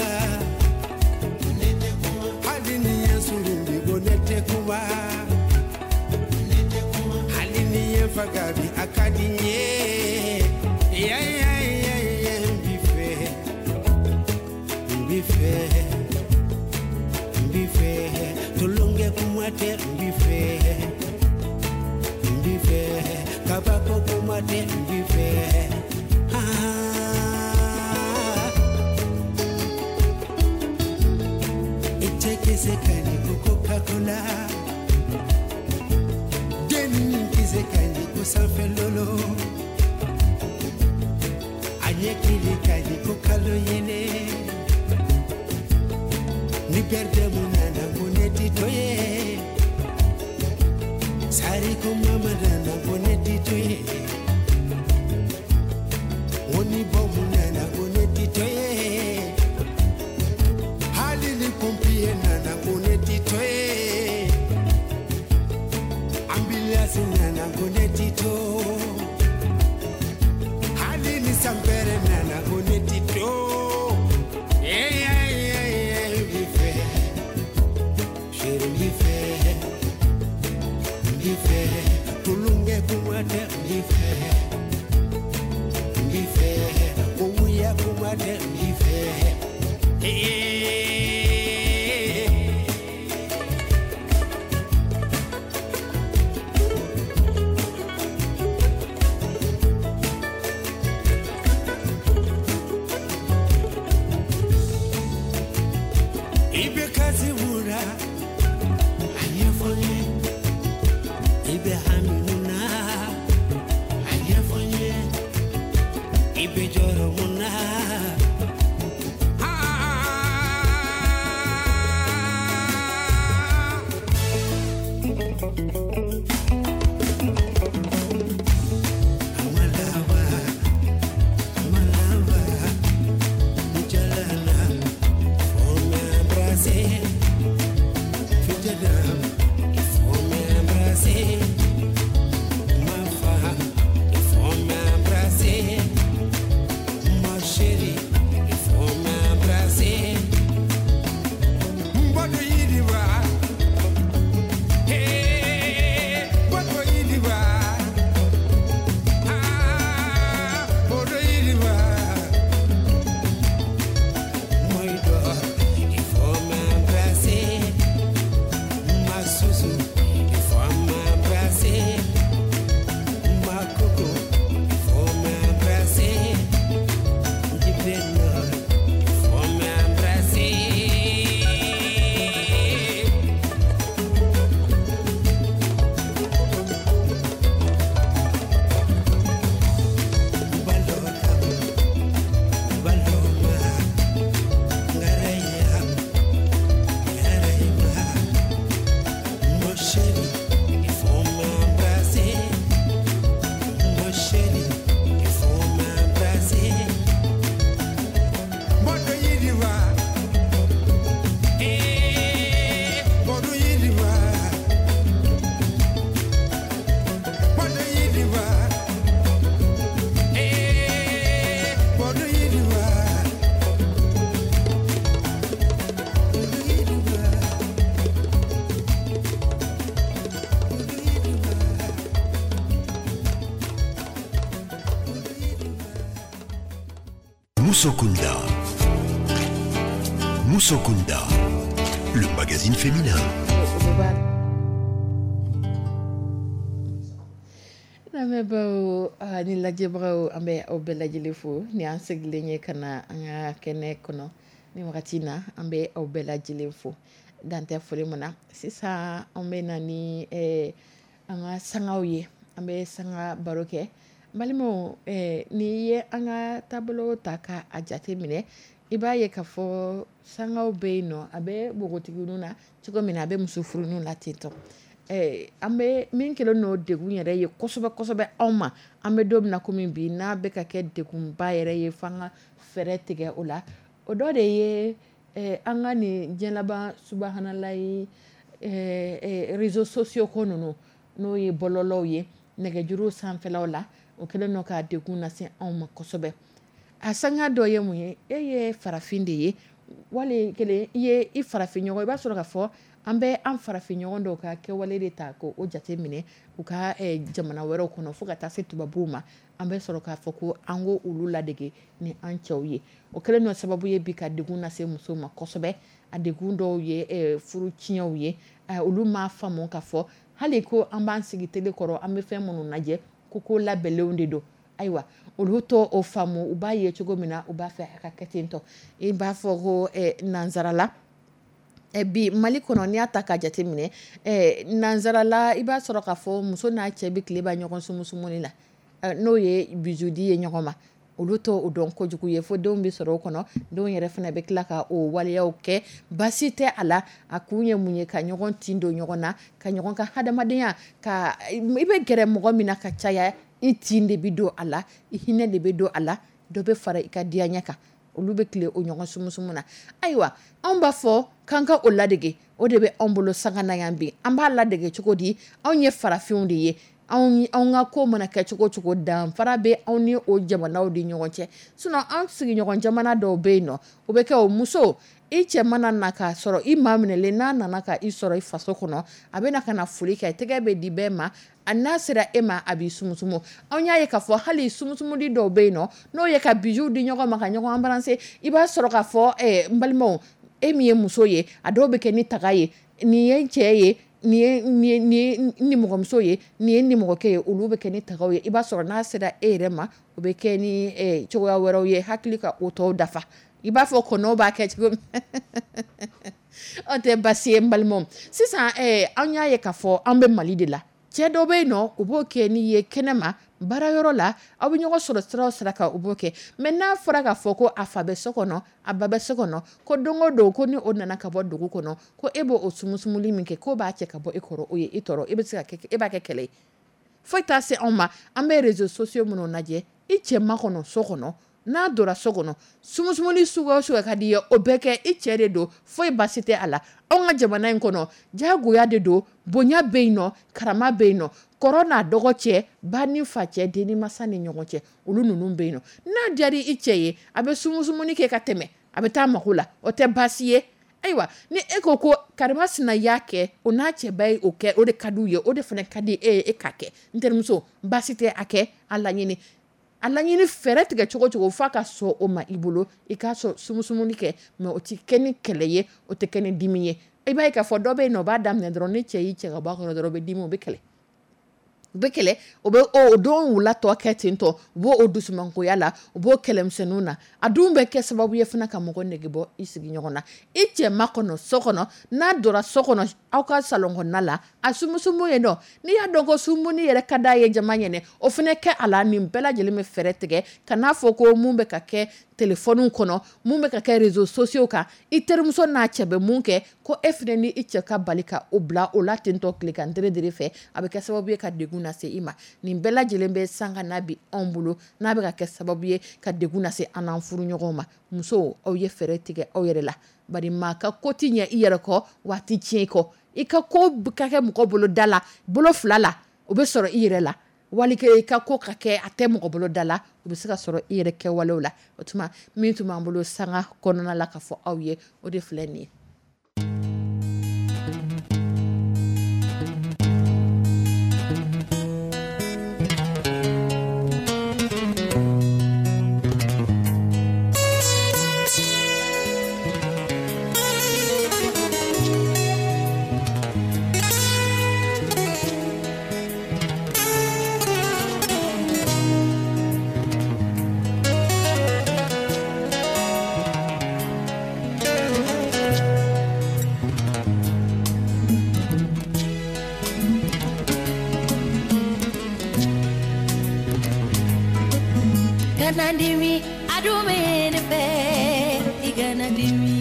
Hali ni ye surun bi ko ne tɛ kuma. Hali ni ye faga bi a ka di n ye. Ya ya ya ya n b'i fɛ, n b'i fɛ, n b'i fɛ. Tulonkɛ kuma tɛ n b'i fɛ, n b'i fɛ. Kabako kuma tɛ n b'i fɛ. Ah. I cɛ kisɛ ka ɲi ko Coca-Cola. Den kisɛ ka ɲi ko sanfɛ lolo. A ɲɛkili ka ɲi ko kalo yɛlɛ. Ni bɛrɛdɛmu nana ko ne ti to ye. Sari ko mama nana ko ne ti to ye. Ko ni bɔmu nana ko ne ti to ye. Hali ni pompier nana ko ne ti to ye. Ambulance nana ko ne ti to. Hali ni sanpɛrɛ nana ko ne ti to. Yeah, yeah, yeah, yeah, n b'i fɛ. Chérie, n b'i fɛ. N b'i fɛ. Tulonkɛ kuma tɛ n b'i fɛ. N b'i fɛ. Kowuya kuma tɛ n b'i fɛ. Hey. I bɛ kasi mun na a ɲɛfɔ n ye. I bɛ hami mun na a ɲɛfɔ n ye. I bɛ jɔrɔ mun na. Ah. Amalaba, amalaba, jalala, faut m'embrasser. Fitadam, il faut m'embrasser. Ma femme, il faut m'embrasser. Ma chérie, il faut m'embrasser. Mbodo yidiwa, hey, mbodo yidiwa. Ah, mbodo yidiwa. Moïdo, il faut m'embrasser. Ma Susu, il faut m'embrasser. Ma Coco, il faut m'embrasser. Djibeno, il faut m'embrasser. Balokam, baloma, ngarayam, ngarayma. Mon chéri, il faut m'embrasser. Mon chéri, il faut m'embrasser. Bodo yidiwa, eh, bodo yidiwa, bodo yidiwa, eh, bodo yidiwa, bodo yidiwa, bodo yidiwa, bodo yidiwa. Moussokunda. Moussokunda, le magazine féminin. O bɛɛ b'a lamɛnbaaw ni lajɛbagaw, an bɛ aw bɛɛ lajɛlen fo ni an segilen ye ka na an ka kɛnɛ kɔnɔ ni wagati in na. An bɛ aw bɛɛ lajɛlen fo dan tɛ foli min na. Sisan an bɛ na ni an ka sangaw ye, an bɛ sanga baro kɛ. N balimaw, n'i ye an ka taabolo ta ka a jate minɛ, i b'a ye k'a fɔ sangaw bɛ yen nɔ, a bɛ npogotigininw na cogo min na, a bɛ muso furuninw la ten tɔ. An bɛ min kɛlen n'o degun yɛrɛ ye kosɛbɛ kosɛbɛ anw ma, an bɛ don min na komi bi, n'a bɛ ka kɛ degunba yɛrɛ ye f'an ka fɛɛrɛ tigɛ o la, o dɔ de ye an ka nin diɲɛ laban subahanalayi réseaux sociaux ko ninnu, n'o ye bɔlɔlɔw ye, nɛgɛjuru sanfɛlaw la, o kɛlen don ka degun lase anw ma kosɛbɛ. A sanga dɔ ye mun ye? E ye farafin de ye, wali kelen i ye i farafin ɲɔgɔn, i b'a sɔrɔ k'a fɔ an bɛ an farafin ɲɔgɔn dɔw ka kɛwale de ta ko o jate minɛ u ka jamana wɛrɛw kɔnɔ, fo ka taa se tubabuw ma. An bɛ sɔrɔ k'a fɔ ko an ko olu ladege ni an cɛw ye. O kɛlen nɔ sababu ye bi ka degun lase muso ma kosɛbɛ. A degun dɔw ye furu tiɲɛw ye. Olu m'a faamu k'a fɔ hali ko an b'an sigi télé kɔrɔ, an bɛ fɛn minnu lajɛ, ko labɛnlenw de don. Ayiwa, olu tɔ o faamu, u b'a ye cogo min na, u b'a fɛ a ka kɛ ten tɔ. I b'a fɔ ko nansarala, bi Mali kɔnɔ, n'i y'a ta ka jate minɛ, nansarala, i b'a sɔrɔ k'a fɔ muso n'a cɛ bɛ tile ban ɲɔgɔn sumusumuni na, n'o ye bisou di ye ɲɔgɔn ma. Olu tɔ o dɔn kojugu ye, fo denw bɛ sɔrɔ o kɔnɔ. Denw yɛrɛ fana bɛ tila ka o waleyaw kɛ, baasi tɛ a la. A kun ye mun ye? Ka ɲɔgɔn tin don ɲɔgɔn na, ka ɲɔgɔn ka hadamadenya, ka i bɛ gɛrɛ mɔgɔ min na ka caya, i tin de bɛ don a la, i hinɛ de bɛ don a la, dɔ bɛ fara i ka diyaɲɛ kan. Olu bɛ tile o ɲɔgɔn sumusumu na. Ayiwa, anw b'a fɔ k'an ka o ladege, o de bɛ anw bolo sanga na yan bi. An b'a ladege cogo di? Anw ye farafinw de ye. Anw ka ko mana kɛ cogo cogo, danfara bɛ anw ni o jamanaw de ɲɔgɔn cɛ. Sinon an sigiɲɔgɔn jamana dɔw bɛ yen nɔ, o bɛ kɛ o muso, i cɛ mana na k'a sɔrɔ i maa minɛlen, n'a nana ka i sɔrɔ i faso kɔnɔ, a bɛ na ka na foli kɛ, tɛgɛ bɛ di bɛɛ ma, a n'a sera e ma, a b'i sumusumu. Anw y'a ye k'a fɔ hali sumusumudi dɔw bɛ yen nɔ, n'o ye ka bijou di ɲɔgɔn ma, ka ɲɔgɔn embrasser, i b'a sɔrɔ k'a fɔ n balimaw, e min ye muso ye, a dɔw bɛ kɛ ni taga ye, nin ye n cɛ ye, nin ye n nimɔgɔmuso ye, nin ye n nimɔgɔkɛ ye, olu bɛ kɛ ni tagaw ye. I b'a sɔrɔ n'a sera e yɛrɛ ma, o bɛ kɛ ni cogoya wɛrɛw ye, hakili ka o tɔw dafa. I b'a fɔ kɔnɔw b'a kɛ cogo min. O tɛ baasi ye n balimaw. Sisan an y'a ye k'a fɔ an bɛ Mali de la. Cɛ dɔ bɛ yen nɔ, u b'o kɛ n'i ye kɛnɛma, baarayɔrɔ la, aw bɛ ɲɔgɔn sɔrɔ sira o sira kan, u b'o kɛ. Mais n'a fɔra k'a fɔ ko a fa bɛ so kɔnɔ, a ba bɛ so kɔnɔ, ko don o don ko ni o nana ka bɔ dugu kɔnɔ, ko e b'o sumusumuli min kɛ, k'o b'a cɛ ka bɔ e kɔrɔ, o ye e tɔɔrɔ, e bɛ se ka kɛ, e b'a kɛ kɛlɛ ye. Foyi t'a se anw ma. An bɛ réseaux sociaux minnu lajɛ, i cɛ makɔnɔ so kɔnɔ, n'a donna so kɔnɔ, sumusumuni suguya o suguya ka di i ye, o bɛɛ kɛ, i cɛ de don, foyi baasi tɛ a la. Anw ka jamana in kɔnɔ, diyagoya de don, bonya bɛ yen nɔ, karama bɛ yen nɔ, kɔrɔ n'a dɔgɔ cɛ, ba ni fa cɛ, den ni masa ni ɲɔgɔn cɛ, olu ninnu bɛ yen nɔ. N'a diyara i cɛ ye, a bɛ sumusumuni kɛ ka tɛmɛ, a bɛ taa mako la, o tɛ baasi ye. Ayiwa, ni e ko ko karimasina y'a kɛ, o n'a cɛba ye o kɛ, o de ka di u ye, o de fana ka di e ye, e k'a kɛ. N terimuso, baasi tɛ a kɛ, a laɲini. A laɲini fɛɛrɛ tigɛ cogo cogo f'a ka sɔn o ma i bolo, i k'a sɔn sumusumuni kɛ, mais o tɛ kɛ ni kɛlɛ ye, o tɛ kɛ ni dimi ye. I b'a ye k'a fɔ dɔ bɛ yen nɔ, o b'a daminɛ dɔrɔn, ni cɛ y'i cɛ ka bɔ a kɔrɔ dɔrɔn, o bɛ dimi, o bɛ kɛlɛ. U bɛ kɛlɛ, o bɛ o don wula tɔ kɛ ten tɔ, u b'o o dusumankoya la, u b'o kɛlɛmisɛnninw na. A dun bɛ kɛ sababu ye fana ka mɔgɔ nege bɔ i sigiɲɔgɔn na. I cɛ makɔnɔ so kɔnɔ, n'a donna so kɔnɔ, aw ka salon kɔnɔna la, a sumusumu yen nɔ, n'i y'a dɔn ko sumuni yɛrɛ ka d'a ye jama ɲɛnɛ, o fana kɛ a la. Nin bɛɛ lajɛlen bɛ fɛɛrɛ tigɛ, ka n'a fɔ ko mun bɛ ka kɛ telefɔniw kɔnɔ, mun bɛ ka kɛ réseaux sociaux kan, i terimuso n'a cɛ bɛ mun kɛ, ko e fana ni i cɛ ka bali ka o bila o la ten tɔ tile kan dere dere fɛ, a bɛ kɛ sababu ye ka degun lase i ma. Nin bɛɛ lajɛlen bɛ sanga n'a bi anw bolo, n'a bɛ ka kɛ sababu ye ka degun lase an n'an furuɲɔgɔnw ma. Musow, aw ye fɛɛrɛ tigɛ aw yɛrɛ la, bari maa ka ko ti ɲɛ i yɛrɛ kɔ, waati tiɲɛ i kɔ. I ka ko ka kɛ mɔgɔ bolo da la, bolo fila la, o bɛ sɔrɔ i yɛrɛ la. Wali i ka ko ka kɛ a tɛ mɔgɔ bolo da la, o bɛ se ka sɔrɔ i yɛrɛ kɛwalew la. O tuma min tun b'an bolo sanga kɔnɔna la ka fɔ aw ye, o de filɛ nin ye. Kana dimi, a dun bɛ ne fɛ, i kana dimi.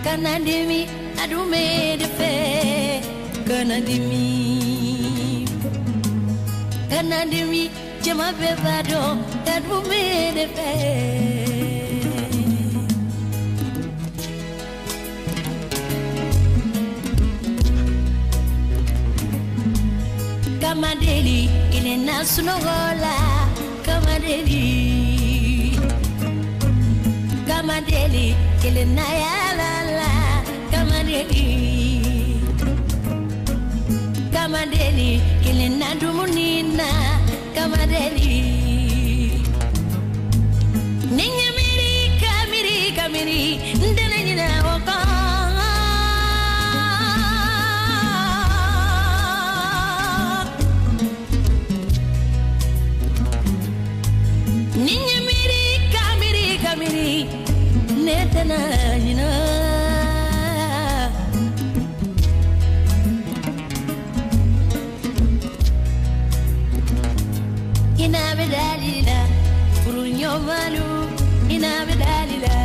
Kana dimi, a dun bɛ ne fɛ, kana dimi. Kana dimi, jama bɛɛ b'a dɔn, a dun bɛ ne fɛ. Kama deli, kelen na sunɔgɔ la. Kamadeli, kamadeli, kelen na ya la la, kamadeli, kamadeli, kelen na dumuni na, kamadeli. Ni n ye miiri ka miiri ka miiri, n tɛna ɲinɛ o kɔ. Ni n ye miiri ka miiri ka miiri, ne tɛna ɲinɛ. Ina bɛ dali la, furu ɲɔgɔnmalu, ina bɛ dali la.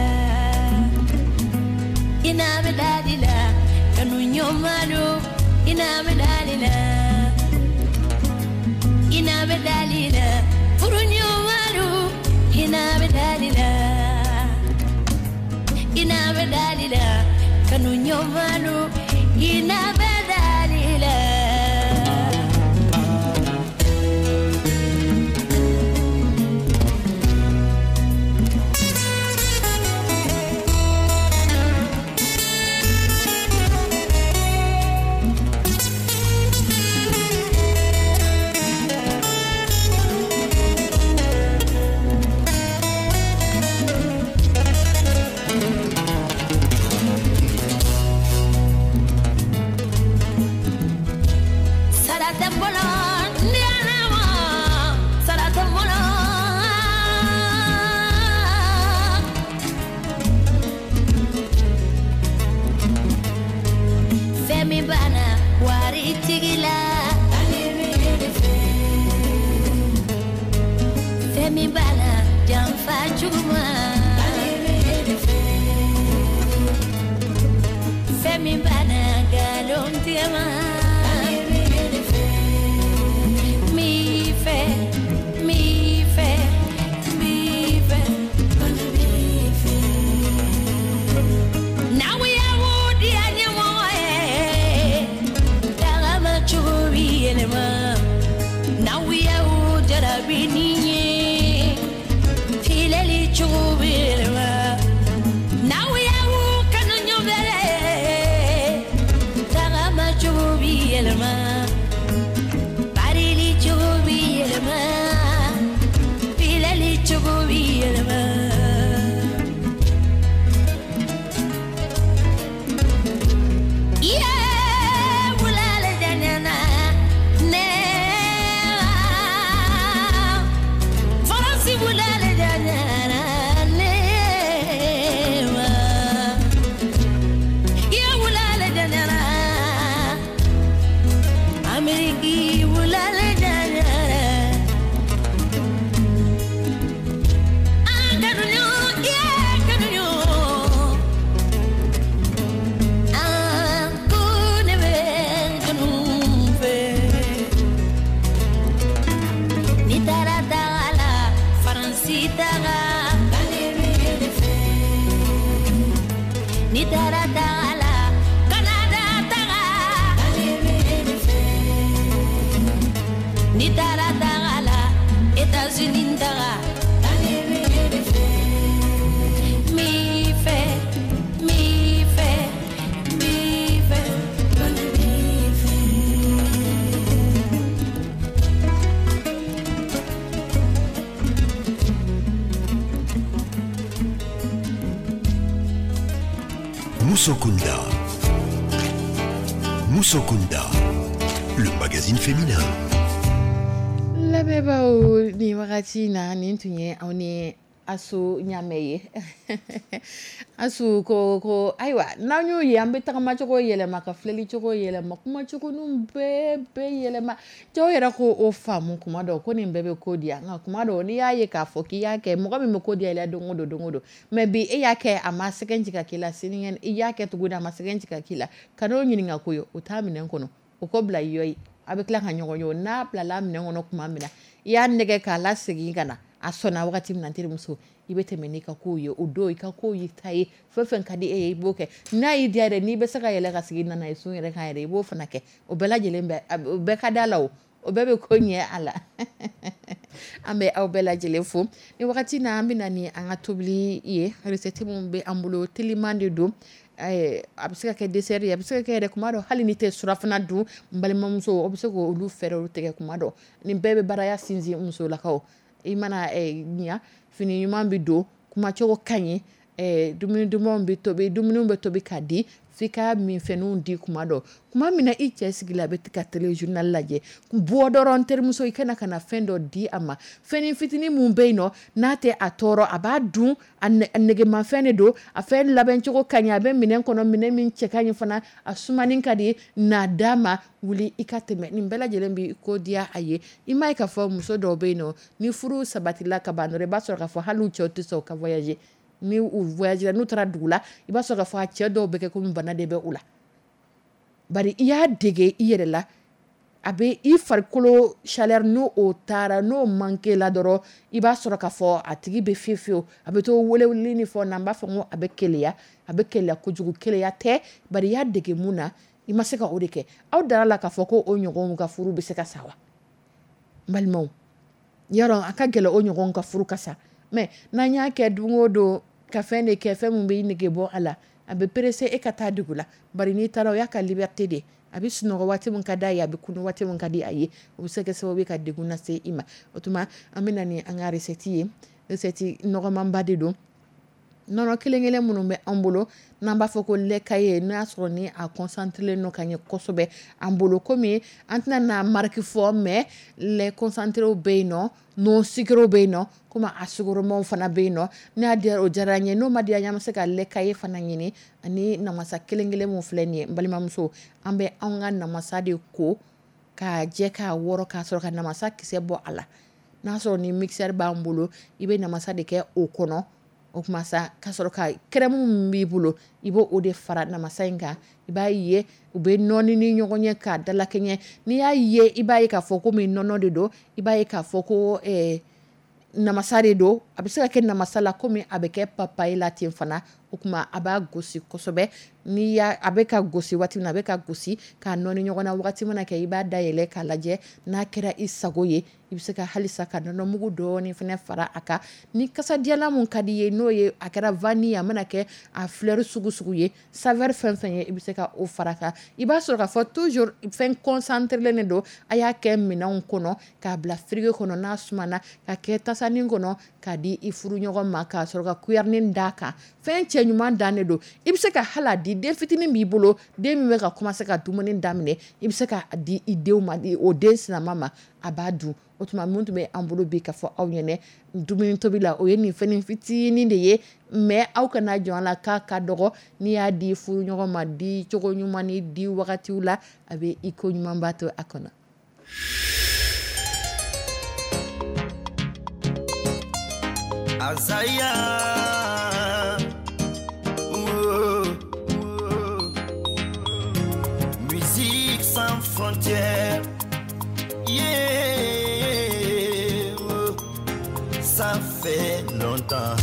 Ina bɛ dali la, kanu ɲɔgɔnmalu, ina bɛ dali la. Ina bɛ dali la, furu ɲɔgɔnmalu, ina bɛ dali la. Ina bɛ dali la, kanu ɲɔgɔnmalu, ina bɛ dali la. Musokunda. Musokunda, le magazine féminin. Lamɛnbaaw, nin wagati na, nin tun ye aw ni Asu Ɲamɛ ye. Asu ko ko ayiwa, n'an y'o ye, an bɛ tagamacogo yɛlɛma, ka filɛlicogo yɛlɛma, kumacogo bɛɛ bɛɛ yɛlɛma. Cɛw yɛrɛ ko o faamu kuma dɔw ko nin bɛɛ bɛ ko diya, nka kuma dɔw n'i y'a ye k'a fɔ k'i y'a kɛ, mɔgɔ min bɛ ko diya i la don o don, don o don, mais bi e y'a kɛ, a ma sɛgɛn jigin k'i la, sinikɛnɛ i y'a kɛ tuguni, a ma sɛgɛn jigin k'i la, ka n'o ɲininka ko ye, o t'a minɛn kɔnɔ, o ko bila i yɔ ye, a bɛ tila ka ɲɔgɔn ye. N'a bilala minɛn kɔnɔ tuma min na, i y'a nɛgɛ k'a la segin ka na, a sɔnna wagati min na, terimuso, i bɛ tɛmɛ n'i ka kow ye. O don i ka kow y'i ta ye, fɛn fɛn ka di e ye, i b'o kɛ. N'a y'i diya yɛrɛ, n'i bɛ se ka yɛlɛ ka sigi nana ye sun yɛrɛ kan yɛrɛ, i b'o fana kɛ. O bɛɛ lajɛlen bɛ, o bɛɛ ka da la, o bɛɛ bɛ ko ɲɛ a la. An bɛ aw bɛɛ lajɛlen fo ni wagati na. An bɛ na ni an ka tobili ye. Recette min bɛ an bolo, teliman de don. A bɛ se ka kɛ dessert ye, a bɛ se ka kɛ yɛrɛ kuma dɔ, hali ni tɛ surafana dun, n balimamuso, o bɛ se k'olu fɛɛrɛw tigɛ. Kuma dɔ, nin bɛɛ bɛ baraya sinsin musolakaw. I mana ɲa, fini ɲuman bɛ don, kumacogo ka ɲi, dumuni dumanw bɛ tobi, dumuni bɛ tobi ka di f'i ka minfɛnw di. Kuma dɔ, kuma min na i cɛ sigi la, a bɛ ka téléjournal lajɛ, bɔ dɔrɔn, terimuso, i kana ka na fɛn dɔ di a ma, fɛn fitinin min bɛ yen nɔ, n'a tɛ a tɔɔrɔ, a b'a dun, a negemafɛn de don, a fɛn labɛncogo ka ɲi, a bɛ minɛn kɔnɔ, minɛn min cɛ ka ɲi fana, a sumanin ka di, n'a d'a ma, wuli i ka tɛmɛ. Nin bɛɛ lajɛlen bɛ ko diya a ye. I m'a ye k'a fɔ muso dɔw bɛ yen nɔ, ni furu sabatila ka ban dɔrɔn, i b'a sɔrɔ k'a fɔ hali cɛw tɛ sɔn ka voyager. Ni u voyager, n'u taara dugu la, i b'a sɔrɔ k'a fɔ a cɛ dɔw bɛ kɛ komi bana de bɛ u la. Bari i y'a dege i yɛrɛ la, a bɛ i farikolo chaleur, n'o o taara, n'o manqué la dɔrɔn, i b'a sɔrɔ k'a fɔ a tigi bɛ fiye fiyewu, a bɛ to weleweleli ni fɛnw na. N b'a fɔ ko a bɛ keleya, a bɛ keleya kojugu. Keleya tɛ, bari i y'a dege mun na, i ma se ka o de kɛ. Aw dara la k'a fɔ ko o ɲɔgɔnw ka furu bɛ se ka sa wa? N balimaw, yarɔ, a ka gɛlɛn o ɲɔgɔn ka furu ka sa. Mais n'an y'a kɛ don o don ka fɛn de kɛ, fɛn min bɛ i nege bɔ a la, a bɛ pressé e ka taa dugu la. Bari n'i taara, o y'a ka liberté de, a bɛ sunɔgɔ waati min ka d'a ye, a bɛ kunu waati min ka di a ye. O bɛ se ka kɛ sababu ye ka degun lase i ma. O tuma, an bɛ na ni an ka recette ye. Recette nɔgɔmanba de don. Nɔnɔ kelen kelen minnu bɛ an bolo, n'an b'a fɔ ko lait caillé, n'a y'a sɔrɔ ni a concentré no ka ɲɛ kosɛbɛ an bolo, komi an tɛna n'a marque fɔ, mais lait concentré bɛ yen nɔ, non sucré bɛ yen nɔ, komi a sukoromaw fana bɛ yen nɔ. N'a diyara, o diyara an ye. N'o ma diya an ye, an bɛ se ka lait caillé fana ɲini. Ani namasa kelen kelen mun filɛ nin ye, n balimamuso, an bɛ anw ka namasa de ko k'a jɛ, k'a wɔrɔ, k'a sɔrɔ ka namasa kisɛ bɔ a la. N'a sɔrɔ ni mixeur b'an bolo, i bɛ namasa de kɛ o kɔnɔ. O tuma sa, ka sɔrɔ ka crème min b'i bolo, i b'o o de fara namasa in kan. I b'a ye u bɛ nɔɔni ni ɲɔgɔn ye k'a dalakɛɲɛ. N'i y'a ye, i b'a ye k'a fɔ komi nɔnɔ de don, i b'a ye k'a fɔ ko namasa de don. A bɛ se ka kɛ namasa la komi a bɛ kɛ papaye la ten fana. O tuma, a b'a gosi kosɛbɛ. N'i y'a, a bɛ ka gosi waati min na, a bɛ ka gosi k'a nɔɔni ɲɔgɔn na waati min na kɛ, i b'a dayɛlɛ k'a lajɛ. N'a kɛra i sago ye, i bɛ se ka halisa ka nɔnɔmugu dɔɔni fana fara a kan. Ni kasadiyalan mun ka di i ye, n'o ye a kɛra vanille, a mana kɛ a fleur sugu sugu ye, saveur fɛn fɛn ye, i bɛ se ka o fara a kan. I b'a sɔrɔ k'a fɔ toujours fɛn concentré de don. A y'a kɛ minɛnw kɔnɔ k'a bila frigo kɔnɔ, n'a sumana, ka kɛ tasanin kɔnɔ k'a di i furu ɲɔgɔn ma, k'a sɔrɔ ka cuillère d'a kan. Fɛn cɛ ɲuman dan de don. I bɛ se ka hali a di den fitinin b'i bolo, den min bɛ ka commencer ka dumuni daminɛ, i bɛ se ka di i denw ma, o den sinama ma, a b'a dun. O tuma, mun tun bɛ an bolo bi ka fɔ aw ɲɛnɛ dumuni tobi la, o ye nin fɛn fitinin de ye. Mais aw kana jɔn a la k'a ka dɔgɔ. N'i y'a di furu ɲɔgɔn ma, di cogo ɲuman ni di wagatiw la, a bɛ i ko ɲumanba to a kɔnɔ. Azaya, oh, oh. Musique sans frontières, yeah, oh. Ça fait longtemps,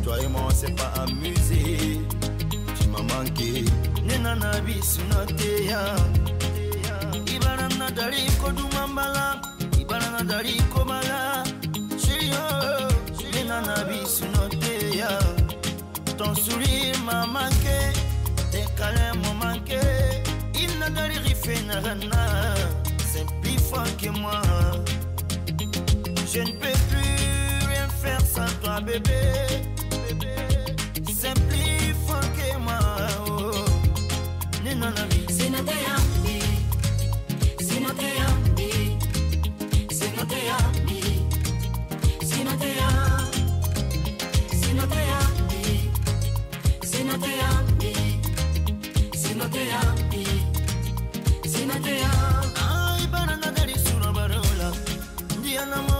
toi et moi on s'est pas amusé, tu m'as manqué. Nenana bisunoteya, Ibarana dari kodumambala, Ibarana dari kobala, Chérie, oh, Nenana bisunoteya. Ton sourire m'a manqué, tes câlins m'ont manqué. Il n'a c'est plus fort que moi. Je ne peux plus rien faire sans toi, bébé. C'est plus fort que moi. Oh. Nenana bi. Ay, banana dari surabarola. Diana mo.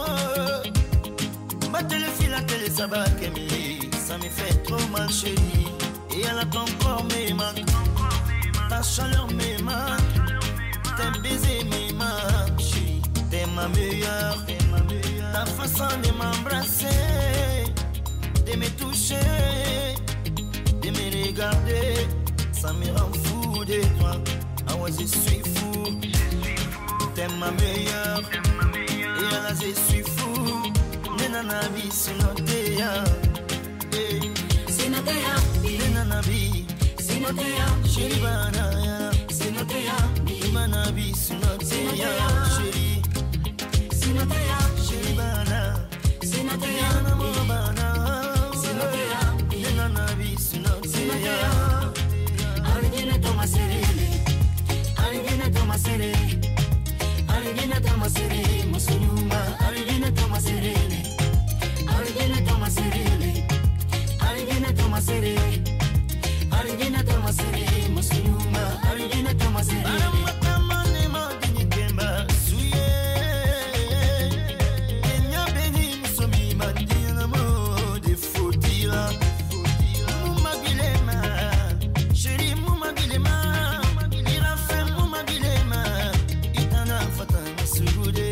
Batele fila tele saba kemili. Ça me fait trop mal, chérie. Et elle a ton corps me manque. Ta chaleur me manque. Tes baisers me manquent, chérie. T'es ma meilleure. Ta façon de m'embrasser, de me toucher, de me regarder, ça me rend fou de toi. Ah ouais, je suis fou. T'es ma meilleure. Et là, je suis fou. Nana bi sinoteya. Sinoteya. Ne nana bi Sinoteya. Chérie bana. Sinoteya. Imana bi sinoteya. Chérie. Sinoteya. Chérie bana. Sinoteya. Nana mo bana. Sinoteya. Ne nana bi sinoteya. Arijinɛ tɔmasere, arijinɛ tɔmasere, arijinɛ tɔmasere, muso ɲuman, arijinɛ tɔmasere, arijinɛ tɔmasere, arijinɛ tɔmasere, arijinɛ tɔmasere, muso ɲuman, arijinɛ tɔmasere. Baramatama ne ma dini kemba suye. Kenya beni muso mi mandina mo de fotila. Muma bilema, chérie muma bilema, irafe muma bilema, itana fata masugude.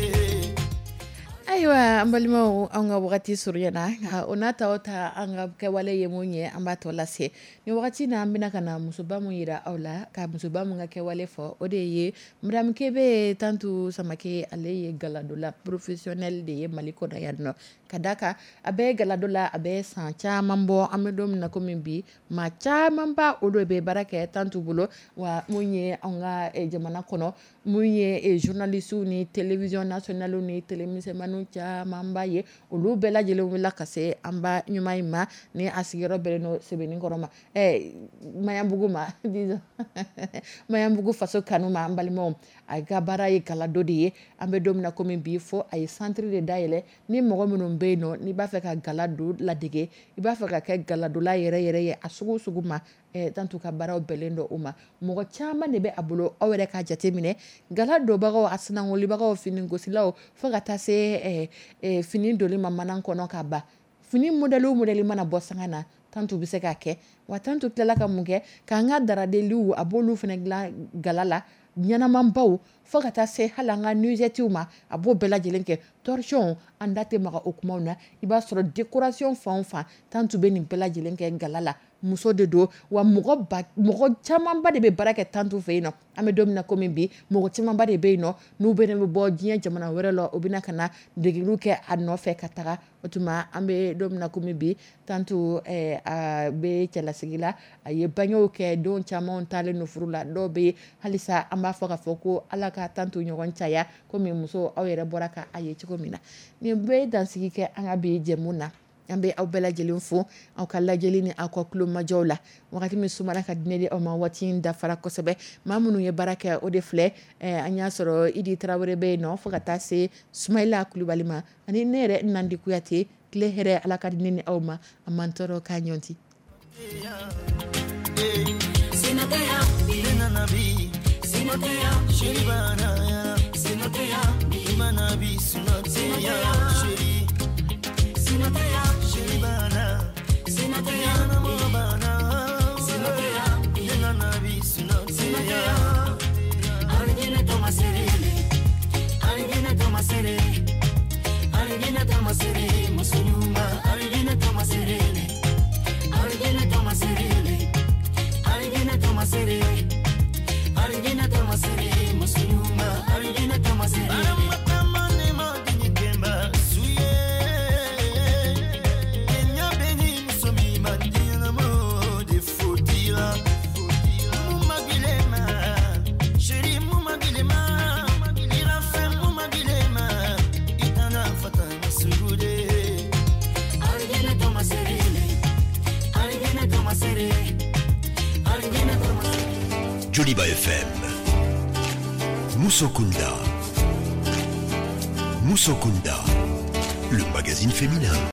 Ayiwa, an balimaw, an ka wagati surunyana, nka o n'a ta o ta, an ka kɛwale ye mun ye, an b'a tɔ lase ni wagati na. An bɛna ka na musoba mun yira aw la, ka musoba mun ka kɛwale fɔ, o de ye Madame Kebe Tantu Samake. Ale ye galadola professionnel de ye Mali kɔnɔ yan nɔ. Ka da kan a bɛ galado la, a bɛ san caman bɔ. An bɛ don min na komi bi, maa camanba o de bɛ baara kɛ Tantu bolo. Wa mun ye an ka jamana kɔnɔ, mun ye journalistes ni télévision nationale ni télé misɛnmaninw camanba ye, olu bɛɛ lajɛlen wulila ka se an ba ɲuman in ma, ni a sigiyɔrɔ bɛnnen don Sebenikɔrɔ ma, Maɲanbugu ma, disons Maɲanbugu faso kanu ma. An balimaw, a ka baara ye galado de ye. An bɛ don min na komi bi, fo a ye centre de dayɛlɛ ni mɔgɔ minnu bɛ yen nɔ, n'i b'a fɛ ka gala don ladege, i b'a fɛ ka kɛ galadola yɛrɛ yɛrɛ ye, a sugu sugu ma, Tantu ka baaraw bɛnnen don o ma. Mɔgɔ caman de bɛ a bolo. Aw yɛrɛ ka jateminɛ, gala donbagaw, a sinangolibagaw, finigosilaw, fo ka taa se fini doli ma mana kɔnɔ ka ban, fini modèle o modèle mana bɔ sanga na, Tantu bɛ se k'a kɛ. Wa Tantu tilala ka mun kɛ? K'an ka daradeliw, a b'olu fana dilan gala la ɲɛnamanbaw, fo ka taa se hali an ka nuisettew ma, a b'o bɛɛ lajɛlen kɛ. Torchon, an da tɛ maga o kumaw na. I b'a sɔrɔ décoration fan o fan, Tantu bɛ nin bɛɛ lajɛlen kɛ gala la. Muso de don wa mɔgɔ ba mɔgɔ camanba de bɛ baara kɛ Tantu fɛ yen nɔ. An bɛ don min na komi bi, mɔgɔ camanba de bɛ yen nɔ, n'u bɛ bɔ diɲɛ jamana wɛrɛ la, u bɛna ka na degeliw kɛ a nɔfɛ ka taga. O tuma, an bɛ don min na komi bi, Tantu a bɛ cɛlasigi la, a ye bangew kɛ, denw caman taalen don furu la, dɔw bɛ yen halisa. An b'a fɔ k'a fɔ ko Ala ka Tantu ɲɔgɔn caya. Komi muso, aw yɛrɛ bɔra ka a ye cogo min na, nin bɛɛ ye dansigi kɛ an ka bi jɛmu na. An bɛ aw bɛɛ lajɛlen fo aw ka lajɛli ni aw ka kulomajɔw la. Wagati min sumara ka di ne di aw ma, waati in dafara kosɛbɛ. Maa minnu ye baara kɛ, o de filɛ, an y'a sɔrɔ Idi Tarawele bɛ yen nɔ, fo ka taa se Sumayila Kulubali ma, ani ne yɛrɛ Nandi Kuyate. Tile hɛrɛ, Ala ka di ne ni aw ma, a man tɔɔrɔ k'a ɲɔnti. Sinoteya. Ne nana bi Sinoteya. Chérie bana. Sinoteya. Imana bi sinoteya. Chérie. Sinoteya. Chérie bana. Sinoteya. Nana mo bana. Sinoteya. Ne nana bi sinoteya. Arijinɛ tɔmasere, arijinɛ tɔmasere, arijinɛ tɔmasere, muso ɲuman, arijinɛ tɔmasere, arijinɛ tɔmasere, arijinɛ tɔmasere, arijinɛ tɔmasere, muso ɲuman, arijinɛ tɔmasere. Baramatama ne ma dini kemba suye. Kenya beni muso mi mandina mo de fotila. Muma bilema, chérie muma bilema, irafe muma bilema, itana fata masugude. Arijinɛ tɔmasere, arijinɛ tɔmasere, arijinɛ tɔmasere. Joliba FM. Moussokunda. Moussokunda. Le magazine féminin.